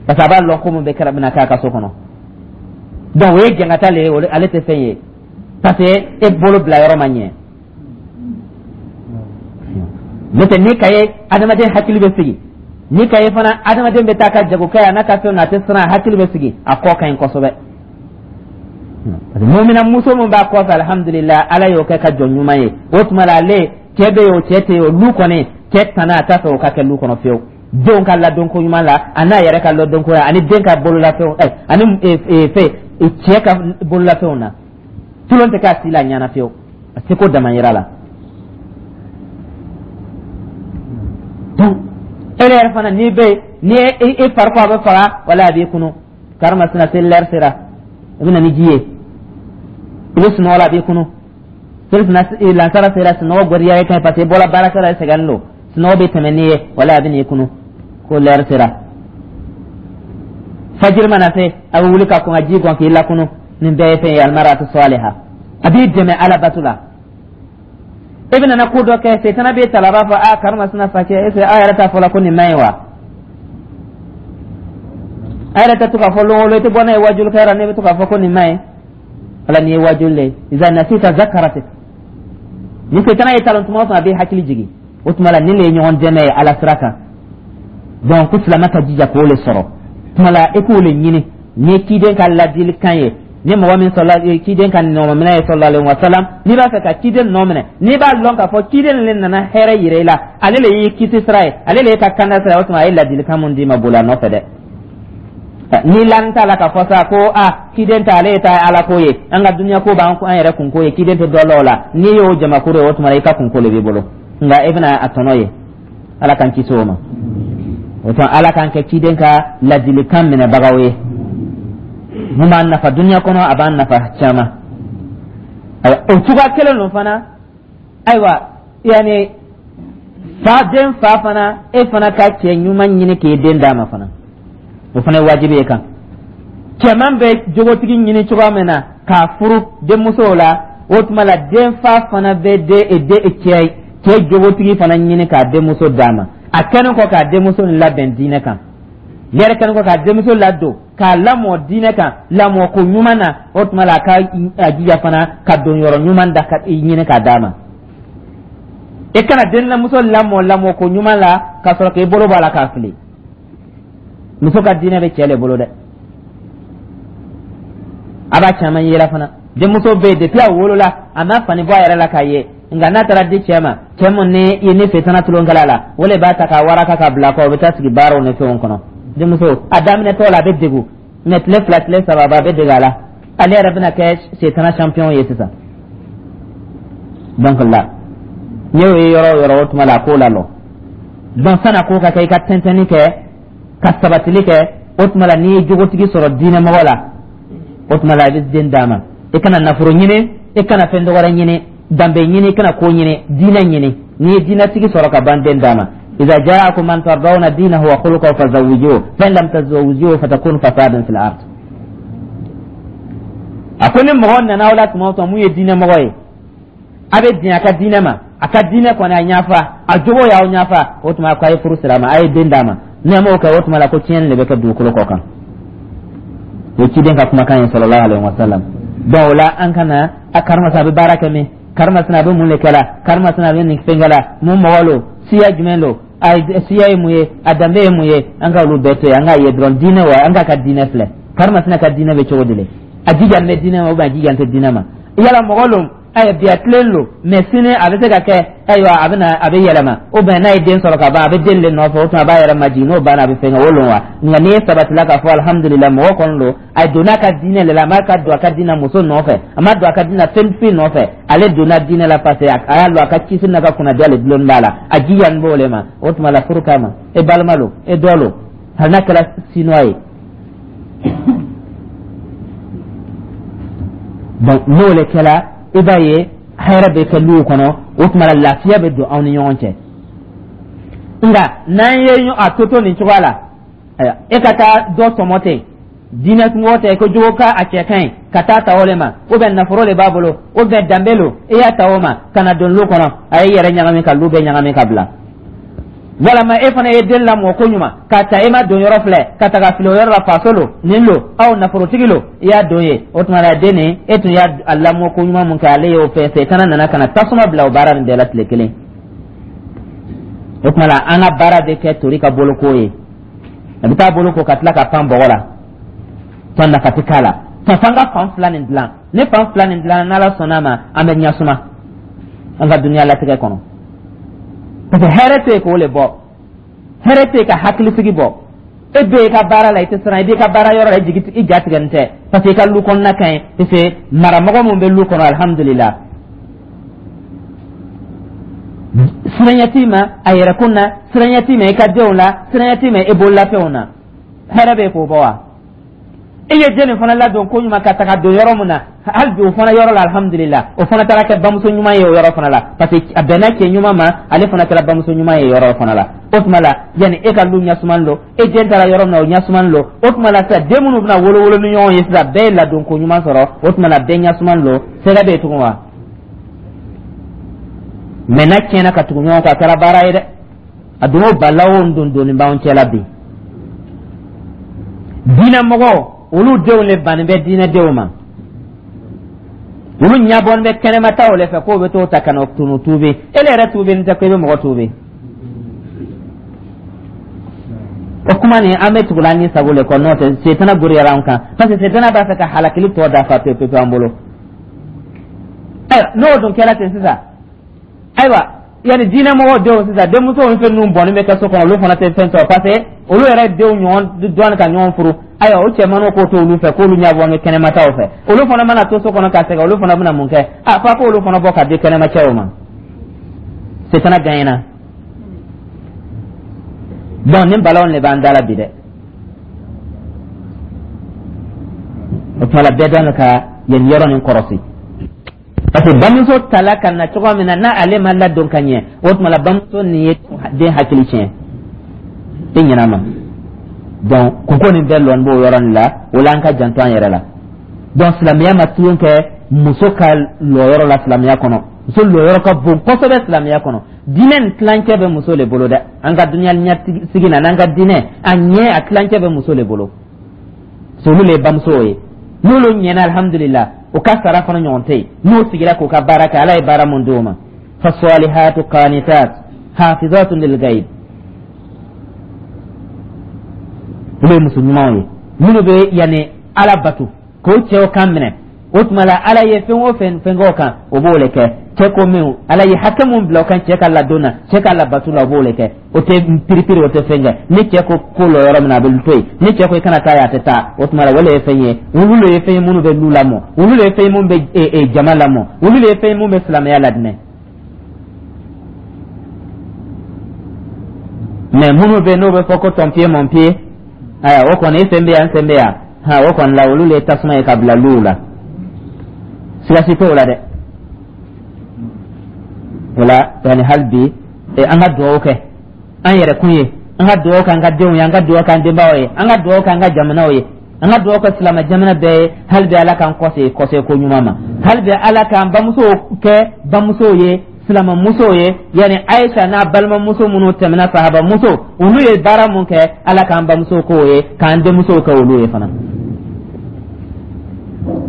parce que a b'a lɔn ko mun bɛ kɛra bɛna k'a ka so kɔnɔ. Donc o ye jɛngata le ye, ale tɛ fɛn ye, parce que e bolo bila yɔrɔ ma ɲɛ. N'o tɛ, ni ka ye adamaden hakili bɛ sigi, ni ka ye fana adamaden bɛ taa ka jago kɛ a n'a ka fɛnw na, a tɛ siran, a hakili bɛ sigi, a kɔ ka ɲi kosɛbɛ. Mumina muso min b'a kɔfɛ, alihamudulila, Ala y'o kɛ ka jɔn ɲuman ye. O tuma la, ale cɛ bɛ yen o, cɛ tɛ yen o, lu kɔni cɛ tana a t'a fɛ o ka kɛ lu kɔnɔ fiyewu. Denw ka ladonko ɲuman la, a n'a yɛrɛ ka ladonko la, ani den ka bololafɛnw, ɛ ani fɛn cɛ ka bololafɛnw na, tulon tɛ k'a si la ɲɛna fiyewu, a seko damayira la. Donc e yɛrɛ fana, n'i bɛ ni e fari ko a bɛ faga, wala a b'i kunu, karimasina seli lɛri sera, i bɛ na ni ji ye. I bɛ sunɔgɔ la, a b'i kunu. Seli lansara sera, sunɔgɔ gɔriya ye kan, parce que i bɔra baarakɛ la, i sɛgɛnnen don, sunɔgɔ bɛ tɛmɛ n'i ye, wala a bɛ n'i kunu ko lɛri sera. Fajiri mana se, a bɛ wuli ka kɔn ka ji gɔn k'i lakunu. Nin bɛɛ ye fɛn ye, almaratu saliha, a b'i dɛmɛ Ala bato la. E bɛ nana ko dɔ kɛ, setana b'e ta la, a b'a fɔ: a karimasina fa cɛ, est ce que aw yɛrɛ t'a fɔ la ko nin man ɲi wa? A yɛrɛ tɛ to k'a fɔ lon o lon, i tɛ bɔ n'a ye wajulikɛyɔrɔ, ne bɛ to k'a fɔ ko nin man ɲi. Wala nin ye wajuli le ye. Iza nasita zakaratik. Ni setana ye talon tuma o tuma, a b'i hakili jigin. O tuma la, nin de ye ɲɔgɔn dɛmɛ ye Ala sira kan. Donc ko silamɛ ka jija k'o le sɔrɔ. Tuma la, e k'o le ɲini ni ciden ka ladilikan ye, ni mɔgɔ min sɔrɔla ciden ka nɔminɛ ye, sallallahu alaihi wa sallam. N'i b'a fɛ ka ciden nɔ minɛ, n'i b'a lɔn k'a fɔ ciden le nana hɛrɛ yira i la, ale le y'i kisi sira ye, ale le y'i ka kanda sira ye, o tuma a ye ladilikan mun d'i ma, boli a nɔfɛ dɛ. Ni lan t'a la k'a fɔ sa ko a ciden ta, ale ye ta Ala ko ye, an ka dunuya ko b'an an yɛrɛ kunko ye, ciden tɛ dɔ la o la. N'i y'o jamakuru ye, o tuma i ka kunko le b'i bolo, nka e bɛna a tɔnɔ ye. Ala k'an kisi o ma. O tuma, Ala k'an kɛ ciden ka ladilikan minɛbagaw ye mun b'an nafa dunuya kɔnɔ, a b'an nafa caman. Ayiwa, o cogoya kelen don fana. Ayiwa, yanni fa den fa fana, e fana ka cɛ ɲuman ɲini k'i den d'a ma fana, o fana ye wajibi ye kan. Cɛman bɛ jogotigi ɲini cogoya min na k'a furu denmusow la, o tuma la denfa fana bɛ den den cɛ cɛ jogotigi fana ɲini k'a denmuso d'a ma. A kɛlen kɔ k'a denmuso labɛn diinɛ kan, ne yɛrɛ kɛlen kɔ k'a denmuso ladon k'a lamɔ diinɛ kan, lamɔ ko ɲuman na, o tuma la a ka a jija fana ka don yɔrɔ ɲuman da ka ɲini k'a d'a ma. E kana denmuso lamɔ lamɔ ko ɲuman la ka sɔrɔ k'i bolo bɔ a la k'a fili. Muso ka diinɛ bɛ cɛ le bolo dɛ. A b'a caman yela fana, denmuso bɛ yen, depuis a wolola, a ma fani bɔ a yɛrɛ la k'a ye. Nka n'a taara di cɛ ma, cɛ mun ni i ni setana tulonkɛla la, o le b'a ta k'a waraka ka bila kɔ, o bɛ taa sigi baaraw ni fɛnw kɔnɔ. Denmuso a daminɛtɔ la, a bɛ degun, mɛ tile fila, tile saba, a bɛ dege a la, ale yɛrɛ bɛna kɛ setana champion ye sisan. Donc la n'i y'o ye yɔrɔ o yɔrɔ, o tuma la a k'o la lɔ. Donc san'a ko ka kɛ, i ka tɛntɛnni kɛ ka sabatili kɛ. O tuma la, n'i ye jogotigi sɔrɔ diinɛmɔgɔ la, o tuma la i bɛ den d'a ma. I kana nafolo ɲini, i kana fɛn dɔwɛrɛ ɲini, danbe ɲini, i kana ko ɲini, diinɛ ɲini. N'i ye diinɛtigi sɔrɔ ka ban, den d'a ma. إذا جاءكم من ترضون دينه وخلقه فزوجوه، فإن لم تزوجوه فتكون فسادا في الأرض. A ko ni mɔgɔ nana aw la tuma o tuma mun ye diinɛ mɔgɔ ye, a bɛ diɲɛ a ka diinɛ ma, a ka diinɛ kɔni a ɲafa, a jogo y'aw ɲafa, o tuma ko a ye furu sira ma, a ye den d'a ma. N'a m'o kɛ, o tuma la ko tiɲɛni de bɛ kɛ dugukolo kɔ kan. O ye ciden ka kumakan ye, sallallahu alaihi wa sallam. Donc o la, an kana a karimasina a bɛ baara kɛ min, karimasina a bɛ mun de kɛ la, karimasina a bɛ nin fɛn kɛ la, mun mɔgɔ lo, siya jumɛn lo, a siya ye mun ye, a danbe ye mun ye, an ka olu bɛɛ to yen. An k'a ye dɔrɔn diinɛ wa, an k'a ka diinɛ filɛ. Karimasina ka diinɛ bɛ cogo di le? A jija bɛ diinɛ ma ou bien a jija tɛ diinɛ ma? Yala mɔgɔ lo, ayiwa, bi a tilen lo, mɛ sini a bɛ se ka kɛ, ayiwa, a bɛ na a bɛ yɛlɛma, ou bien n'a ye den sɔrɔ ka ban, a bɛ den de nɔfɛ, o tuma a b'a yɛrɛ majigin, n'o banna a bɛ fɛn kɛ o lo wa? Nka n'i ye sabatila k'a fɔ alihamudulila, mɔgɔ kɔni don, a donna a ka diinɛ de la, a m'a ka don a ka diinɛ muso nɔfɛ, a ma don a ka diinɛ fɛn foyi nɔfɛ, ale donna diinɛ la parce que a y'a lɔn a ka kisi n'a ka kunnadiya le dulonni b'a la, a jija nin b'o le ma, o tuma la furu kama, e balima lo, e dɔ lo, hali n'a kɛra sinuwa ye. Donc n'o le kɛra, i b'a ye hɛrɛ bɛ kɛ luw kɔnɔ, o tuma la lafiya bɛ don aw ni ɲɔgɔn cɛ. Nka n'an ye a to to nin cogoya la, ayiwa, e ka taa dɔ tɔmɔ ten, diinɛ mɔgɔ tɛ ko jogo ka a cɛ ka ɲi ka taa ta o le ma, ou bien nafolo de b'a bolo, ou bien danbe lo, e y'a ta o ma ka na don lu kɔnɔ, a y'i yɛrɛ ɲagami ka lu bɛɛ ɲagami ka bila. Walama e fana ye den lamɔ ko ɲuman k'a ta, e ma don yɔrɔ filɛ ka taga fili o yɔrɔ la, faso lo, nin lo, aw nafolotigi lo, i y'a don ye, o tuma la den nin, e tun y'a lamɔ ko ɲuman mun kɛ, ale y'o fɛn fɛn kana nana ka na tasuma bila o baara nin bɛɛ la tile kelen. O tuma la an ka baara bɛ kɛ tori ka boloko ye, a bɛ taa boloko ka tila ka pan bɔgɔ la, tɔn nafa tɛ k'a la. Tɔn f'an ka fan fila nin dilan. Ni fan fila nin dilan, n'Ala sɔnna a ma, an bɛ ɲɛsuma an ka dunuya latigɛ kɔnɔ, parce que hɛrɛ tɛ yen k'o le bɔ, hɛrɛ tɛ yen ka hakilisigi bɔ. E bɛ i ka baara la, i tɛ siran, i b'i ka baara yɔrɔ la, i jigi i ja tigɛnin tɛ, parce que i ka lu kɔnɔna ka ɲi, parce que maramɔgɔ mun bɛ lu kɔnɔ, alihamudulila, siranya t'i ma a yɛrɛkun na, siranya t'i ma i ka denw la, siranya t'i ma i bololafɛnw na. Hɛrɛ bɛ yen k'o bɔ wa? E ye den nin fana ladon ko ɲuman ka taga don yɔrɔ min na, hali bi o fana yɔrɔ la, alihamudulila, o fana taara kɛ bamuso ɲuman ye o yɔrɔ fana la, parce que a bɛnna cɛ ɲuman ma, ale fana kɛra bamuso ɲuman ye yɔrɔ fana la. O tuma la, yanni e ka lu ɲɛsuman lo, e den taara yɔrɔ min na, o ɲɛsuman lo. O tuma la sisan, den minnu bɛna wolo wolo ni ɲɔgɔn ye sisan, bɛɛ ye ladon ko ɲuman sɔrɔ, o tuma la bɛɛ ɲɛsuman lo. Sɛgɛ bɛ yen tugun wa? Mɛ n'a tiɲɛna ka tugu ɲɔgɔn kɔ, a kɛra baara ye dɛ. A donna o balawo don donni b'anw cɛ la bi. Diinɛmɔgɔw, olu denw le bannen bɛ diinɛdenw ma, olu ɲabɔn bɛ kɛnɛmataw le fɛ k'o bɛ t'o ta ka na tunu tuubi. E le yɛrɛ tuubi tɛ ko i bɛ mɔgɔ tuubi. O kuma nin, an bɛ tugula ni sago le kɔ, n'o tɛ setana goriyara an kan, parce que setana b'a fɛ ka halakili tɔ dafa pewu pewu an bolo. Ayiwa, n'o dun kɛra ten sisan, ayiwa, yanni diinɛmɔgɔw denw sisan, denmusow ni fɛn ninnu bɔnni bɛ kɛ so kɔnɔ, olu fana tɛ fɛn sɔrɔ, parce que olu yɛrɛ denw ɲɔgɔn dɔɔni ka ɲɔgɔn furu. Ayiwa, o cɛmanninw k'o to olu fɛ k'olu ɲɛbɔ ni kɛnɛmataw fɛ, olu fana mana to so kɔnɔ ka sɛgɛn, olu fana bɛna mun kɛ? A f'a k'olu fana bɔ ka di kɛnɛmacɛw ma. Setana gagnera. Donc nin balaw de b'an da la bi dɛ. O tuma la, bɛɛ dɔn ka yen yɔrɔ nin kɔrɔsi, parce que bamuso tala ka na cogo min na, n'ale ma ladon ka ɲɛ, o tuma la bamuso nin ye den hakili tiɲɛ i ɲin'a ma. Donc kunko nin bɛɛ lɔn b'o yɔrɔ nin la. O la, an ka janto an yɛrɛ la. Donc silamɛya ma tulon kɛ muso ka lɔyɔrɔ la silamɛya kɔnɔ. Muso lɔyɔrɔ ka bon kosɛbɛ silamɛya kɔnɔ. Diinɛ nin tilancɛ bɛ muso le bolo dɛ. An ka dunuya ɲɛsigi na, n'an ka diinɛ a ɲɛ, a tilancɛ bɛ muso le bolo. Olu le ye bamusow ye. N'olu ɲɛna, alihamudulila, o ka sara fana ɲɔgɔn tɛ yen. N'o sigira k'o ka baara kɛ, Ala ye baara mun d'o ma, fasalihatu qanitat hafizatun lil ghaib, olu ye muso ɲumanw ye minnu bɛ yanni Ala bato k'o cɛw kan minɛ. O tuma la, Ala ye fɛn o fɛn fɛn k'o kan, o b'o le kɛ. Cɛ ko min, Ala ye hakɛ mun bila o kan cɛ ka ladon na, cɛ ka labato la, o b'o le kɛ. O tɛ piripiri, o tɛ fɛn kɛ. Ni cɛ ko ko lɔ yɔrɔ min na, a bɛ to yen. Ni cɛ ko i kana taa yen, a tɛ taa. O tuma la, o le ye fɛn ye. Olu le ye fɛn ye minnu bɛ lu lamɔ, olu le ye fɛn ye minnu bɛ jama lamɔ, olu le ye fɛn ye minnu bɛ silamɛya ladinɛ. Mais minnu bɛ n'o bɛ fɔ ko ton pied, mon pied, ayiwa, o kɔni, e sen bɛ yan, n sen bɛ yan, ha, o kɔni la, olu le ye tasuma ye ka bila luw la, siga si t'o la dɛ. O la, yani hali bi an ka dugawu kɛ an yɛrɛ kun ye, an ka dugawu kɛ an ka denw ye, an ka dugawu kɛ an denbaw ye, an ka dugawu kɛ an ka jamanaw ye, an ka dugawu kɛ silamɛ jamana bɛɛ ye. Hali bi Ala k'an kɔse kɔse ko ɲuman ma. Hali bi Ala k'an bamusow kɛ bamusow ye, silamɛmusow ye, yani Ayisa n'a balimamuso minnu tɛmɛna, sahabamuso, olu ye baara mun kɛ, Ala k'an bamusow k'o ye, k'an denmusow kɛ olu ye fana,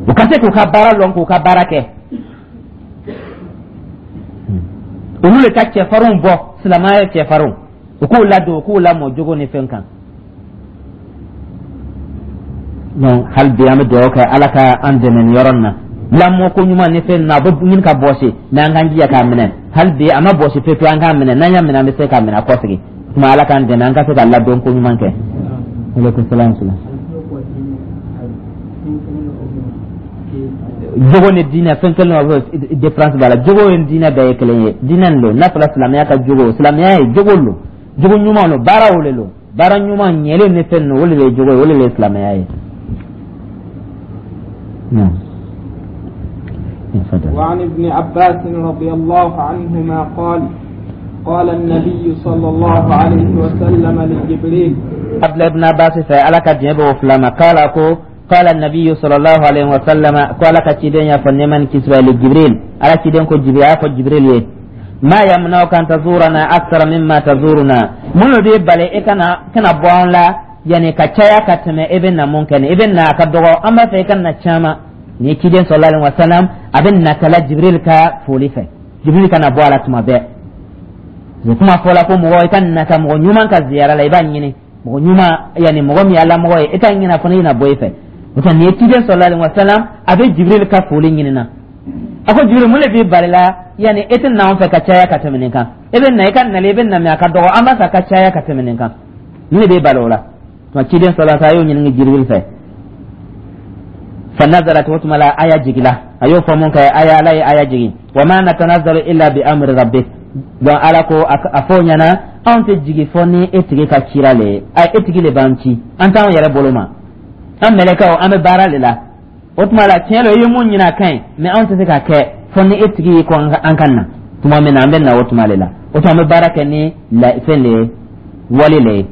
u ka se k'u ka baara lɔn, k'u ka baara kɛ. Olu le ka cɛfarinw bɔ, silamɛya cɛfarinw, u k'u ladon, u k'u lamɔ jogo ni fɛn kan. Donc hali bi an bɛ dugawu kɛ Ala ka an dɛmɛ nin yɔrɔ in na. Lamɔ ko ɲuman ni fɛn na, a bɛ ɲini ka bɔsi, mais an k'an jija k'a minɛ. Hali bi a ma bɔsi pewu pewu, an k'a minɛ. N'an y'a minɛ, an bɛ se k'a minɛ a kɔsegin. Tuma Ala k'an dɛmɛ an ka se ka ladon ko ɲuman kɛ. Aleykum salaam. Jogo ni diinɛ, fɛn kelen o différence b'a la. Jogo ni diinɛ bɛɛ ye kelen ye. Diinɛ nin don n'a fɔra silamɛya ka jogo, silamɛya ye jogo lo, jogo ɲuman lo, baaraw le lo, baara ɲuman ɲɛlen ni fɛn ninnu, o le ye jogo ye, o le ye silamɛya ye. وعن ابن عباس رضي الله عنهما قال قال النبي صلى الله عليه وسلم لجبريل. قبل ابن عباس Ala ka diɲɛ b'o fila ma, قال ko قال النبي صلى الله عليه وسلم, قال كتيدين يا فنيمان كسوة لجبريل على كتيدين كو جبريل كو جبريل يه ما يمنعك أن تزورنا أكثر مما تزورنا؟ من دي بالي إكنا كنا بوان لا يعني كتايا كتم ابن ممكن ابن كدغو أما في كنا تشاما. Ni ciden sallallahu alaihi wasallam a bɛ natala Jibril ka foli fɛ, Jibril kana bɔ a la tuma bɛɛ. Kuma fɔla ko mɔgɔ i ka nata mɔgɔ ɲuman ka ziyara la, i b'a ɲini mɔgɔ ɲuman, yani mɔgɔ min ye Ala mɔgɔ ye, i t'a ɲini a fana i na bɔ i fɛ. O tɛ nin ye ciden sallallahu alaihi wasallam a bɛ Jibril ka foli ɲini na. A ko Jibril, mun de b'i bali la, yani e tɛ na anw fɛ ka caya ka tɛmɛ nin kan? E bɛ na, i ka nali, i bɛ na, mais a ka dɔgɔ, an b'a fɛ a ka caya ka tɛmɛ nin kan. Mun de b'i bali o la? Tuma ciden sallallahu alaihi wasallam a y'o ɲininka Jibril fɛ. فنزلت وتم لا آية جيلا أيو فمون كي آية لا آية جيجي وما نتنزل إلا بأمر ربك. Donc Ala ko a fɔ ɲɛna, anw tɛ jigin fɔ ni e tigi ka cira le ye, a e tigi le b'an ci, an t'anw yɛrɛ bolo ma, an mɛlɛkɛw, an bɛ baara le la. O tuma la, tiɲɛ la, i ye mun ɲini, a ka ɲi, mais anw tɛ se k'a kɛ fɔ ni e tigi ko an ka na. Tuma min na an bɛ na, o tuma le la. O tuma an bɛ baara kɛ ni fɛn le ye, wale le ye.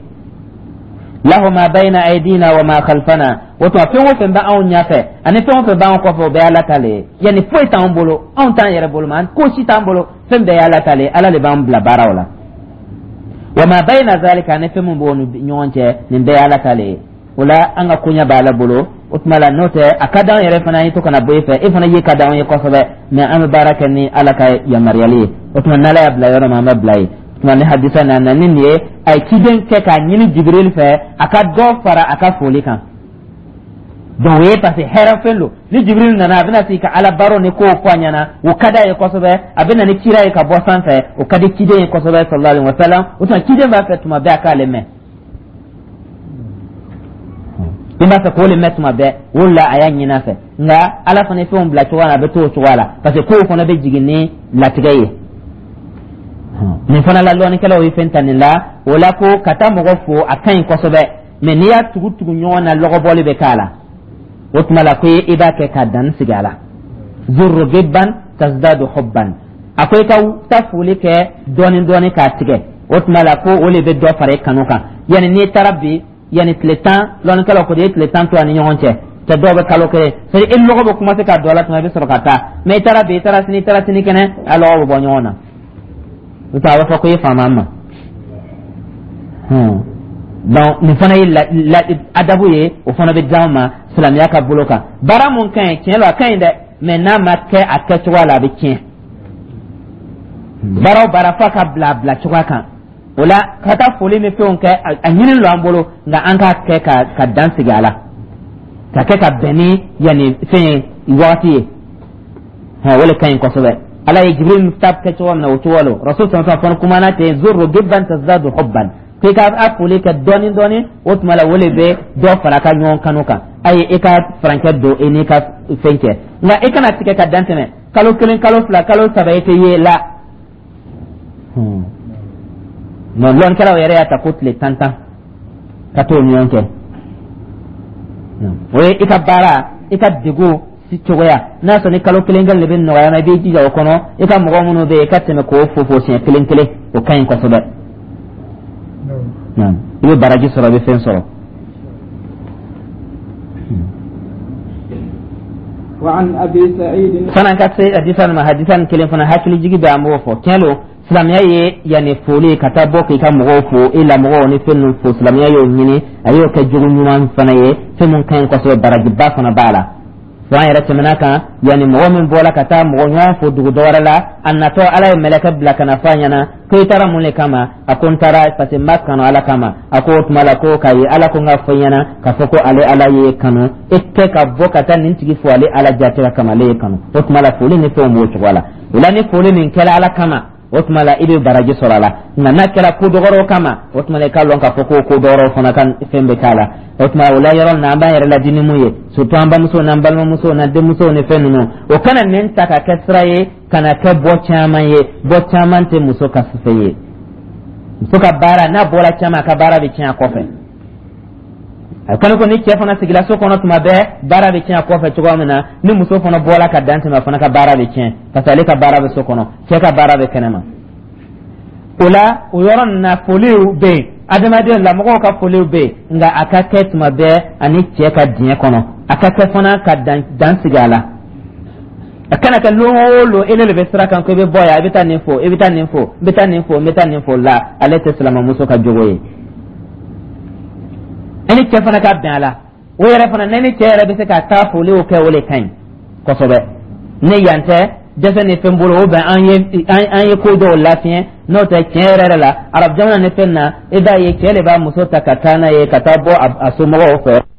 Lahu ma bayna aydina wa ma khalfana. O tuma fɛn o fɛn bɛ anw ɲɛfɛ ani fɛn o fɛn b'anw kɔfɛ, o bɛɛ ye Ala ta le ye. Yani foyi t'anw bolo, anw t'an yɛrɛ bolo ma, ko si t'an bolo, fɛn bɛɛ ye Ala ta le ye. Ala de b'an bila baaraw la. Wa ma bayna zalika, ani fɛn min b'o ni ɲɔgɔn cɛ, nin bɛɛ ye Ala ta le ye. O la, an ka koɲɛ b'Ala bolo. O tuma la, n'o tɛ, a ka d'anw yɛrɛ fana ye to kana bɔ e fɛ, e fana ye ka d'anw ye kosɛbɛ, mais an bɛ baara kɛ ni Ala ka yamaruyali ye. O tuma n'Ala y'a bila yɔrɔ min, an bɛ bila yen. Tuma ni hadisa nana ni nin ye, a ye ciden kɛ k'a ɲini Jibril fɛ a ka dɔ fara a ka foli kan. Donc o ye parce que hɛrɛ fɛn don. Ni Jibril nana, a bɛna sigi ka Ala baro ni kow fɔ a ɲɛna, o ka d'a ye kosɛbɛ. A bɛ na ni kira ye ka bɔ sanfɛ, o ka di ciden ye kosɛbɛ sallallahu alaihi wa sallam. O tuma ciden b'a fɛ tuma bɛɛ a k'ale mɛn, i b'a fɛ k'o le mɛn tuma bɛɛ. O la a y'a ɲini a fɛ, nka Ala fana ye fɛnw bila cogoya la, a bɛ to o cogoya la, parce que kow fana bɛ jigin ni latigɛ ye. Nin fana la, lɔnnikɛlaw ye fɛn ta nin la. O la, ko ka taa mɔgɔ fo, a ka ɲi kosɛbɛ, mais n'i y'a tugu tugu ɲɔgɔn na, lɔgɔbɔli bɛ k'a la. O tuma la, ko i b'a kɛ ka dan sigi a la. Zurru gibban tazdadu hubban. A ko i ka taa foli kɛ dɔɔni dɔɔni k'a tigɛ. O tuma la, ko o le bɛ dɔ fara i kanu kan. Yani n'i taara bi, yani tile tan, lɔnnikɛlaw ko de ye tile tan to a ni ɲɔgɔn cɛ, tɛ dɔw bɛ kalo kelen, c'est à dire i lɔgɔ bɛ commencer ka don a la tuma, i bɛ sɔrɔ ka taa. Mais i taara bi, i taara sini, i taara sini kɛnɛ, a lɔgɔ bɛ bɔ ɲɔgɔn na. O tɛ a b'a fɔ ko i faama ma. Donc nin fana ye la adabu ye, o fana bɛ d'anw ma silamɛya ka bolo kan. Baara mun ka ɲi, tiɲɛ don, a ka ɲi dɛ, mais n'a ma kɛ a kɛcogoya la, a bɛ tiɲɛ. Baara o baara, f'a ka bila a bila cogoya kan. O la, ka taa foli ni fɛnw kɛ, a ɲini don an bolo, nka an k'a kɛ ka ka dan sigi a la, ka kɛ ka bɛn ni yanni fɛn ye, wagati ye, o le ka ɲi kosɛbɛ. Ala ye Jibril ta kɛ cogo min na, o cogo lo. Rasul sallallahu alaihi wasallam kumana ten: zurru gibban tazdadu hubban. K'i ka a foli kɛ dɔɔni dɔɔni, o tuma la o le bɛ dɔ fara ka ɲɔgɔn kanu kan. Ayi, i ka furancɛ don i n'i ka fɛn cɛ, nka i kana tigɛ ka dan tɛmɛ kalo kelen, kalo fila, kalo saba, i tɛ ye la. Non, lɔnnikɛlaw yɛrɛ y'a ta ko tile tan tan ka t'o ɲɔgɔn kɛ. O ye i ka baara, i ka degun si cogoya. N'a sɔrɔ ni kalo kelen kelen de bɛ nɔgɔya ma, i b'i jija o kɔnɔ. I ka mɔgɔ minnu bɛ yen, i ka tɛmɛ k'o fo fo siɲɛ kelen kelen, o ka ɲi kosɛbɛ. I bɛ baraji sɔrɔ, i bɛ fɛn sɔrɔ. وعن أبي سعيد Fana ka se hadisa ma, hadisa nin kelen fana hakili jigi bɛ, an b'o fɔ. Tiɲɛ don, silamɛya ye yanni foli ka taa bɔ k'i ka mɔgɔw fo, i lamɔgɔw ni fɛn ninnu fo, silamɛya y'o ɲini, a y'o kɛ jogo ɲuman fana ye, fɛn mun ka ɲi kosɛbɛ, barajiba fana b'a la. Fo an yɛrɛ tɛmɛna kan, yanni mɔgɔ min bɔra ka taa mɔgɔ ɲɔgɔn fo dugu dɔ wɛrɛ la, a natɔ, Ala ye mɛlɛkɛ bila ka na fɔ a ɲɛna ko i taara mun de kama? A ko n taara parce que n b'a kanu Ala kama. A ko o tuma la ko k'a ye Ala ko n ka fɔ i ɲɛna k'a fɔ ko ale Ala ye kanu, e kɛ ka bɔ ka taa nin tigi fo ale Ala jate ka kama, ale ye kanu. O tuma la foli ni fɛnw b'o cogo la. O la, ni foli min kɛra Ala kama, o tuma la i bɛ baraji sɔrɔ a la. Nka n'a kɛra ko dɔgɔrɔw kama, o tuma la i k'a lɔn k'a fɔ ko ko dɔgɔrɔw fana ka fɛn bɛ k'a la. O tuma o la, yɔrɔ na an b'an yɛrɛ ladi ni mun ye, surtout an bamusow n'an balimamusow n'an denmusow ni fɛn ninnu, o kana nin ta ka kɛ sira ye ka na kɛ bɔ caman ye. Bɔ caman tɛ muso ka fɛn ye. Muso ka baara, n'a bɔra caman, a ka baara bɛ tiɲɛ a kɔfɛ. A kɔni ko ni cɛ fana sigila so kɔnɔ tuma bɛɛ, baara bɛ tiɲɛ a kɔfɛ cogoya min na, ni muso fana bɔra ka dan tɛmɛ, a fana ka baara bɛ tiɲɛ, parce que ale ka baara bɛ so kɔnɔ, cɛ ka baara bɛ kɛnɛma. O la, o yɔrɔ nin na, foliw bɛ yen, adamaden lamɔgɔw ka foliw bɛ yen, nka a ka kɛ tuma bɛɛ ani cɛ ka diɲɛ kɔnɔ, a ka kɛ fana ka dan dan sigi a la. A kana kɛ lon o lon e de bɛ sira kan ko i bɛ bɔ yan, i bɛ taa nin fo, i bɛ taa nin fo, i bɛ taa nin fo, n bɛ taa nin fo la. Ale tɛ silamɛmuso ka jogo ye. E ni cɛ fana ka bɛn a la, o yɛrɛ fana, ne ni cɛ yɛrɛ bɛ se ka taa foliw kɛ, o de ka ɲi kosɛbɛ. Ne yan tɛ dɛsɛ ni fɛn bolo, o bɛn an ye an ye ko dɔw lafiɲɛ. N'o tɛ, tiɲɛ yɛrɛ yɛrɛ la, arabu jamana ni fɛn na, i b'a ye cɛ de b'a muso ta ka taa n'a ye ka taa bɔ a somɔgɔw fɛ.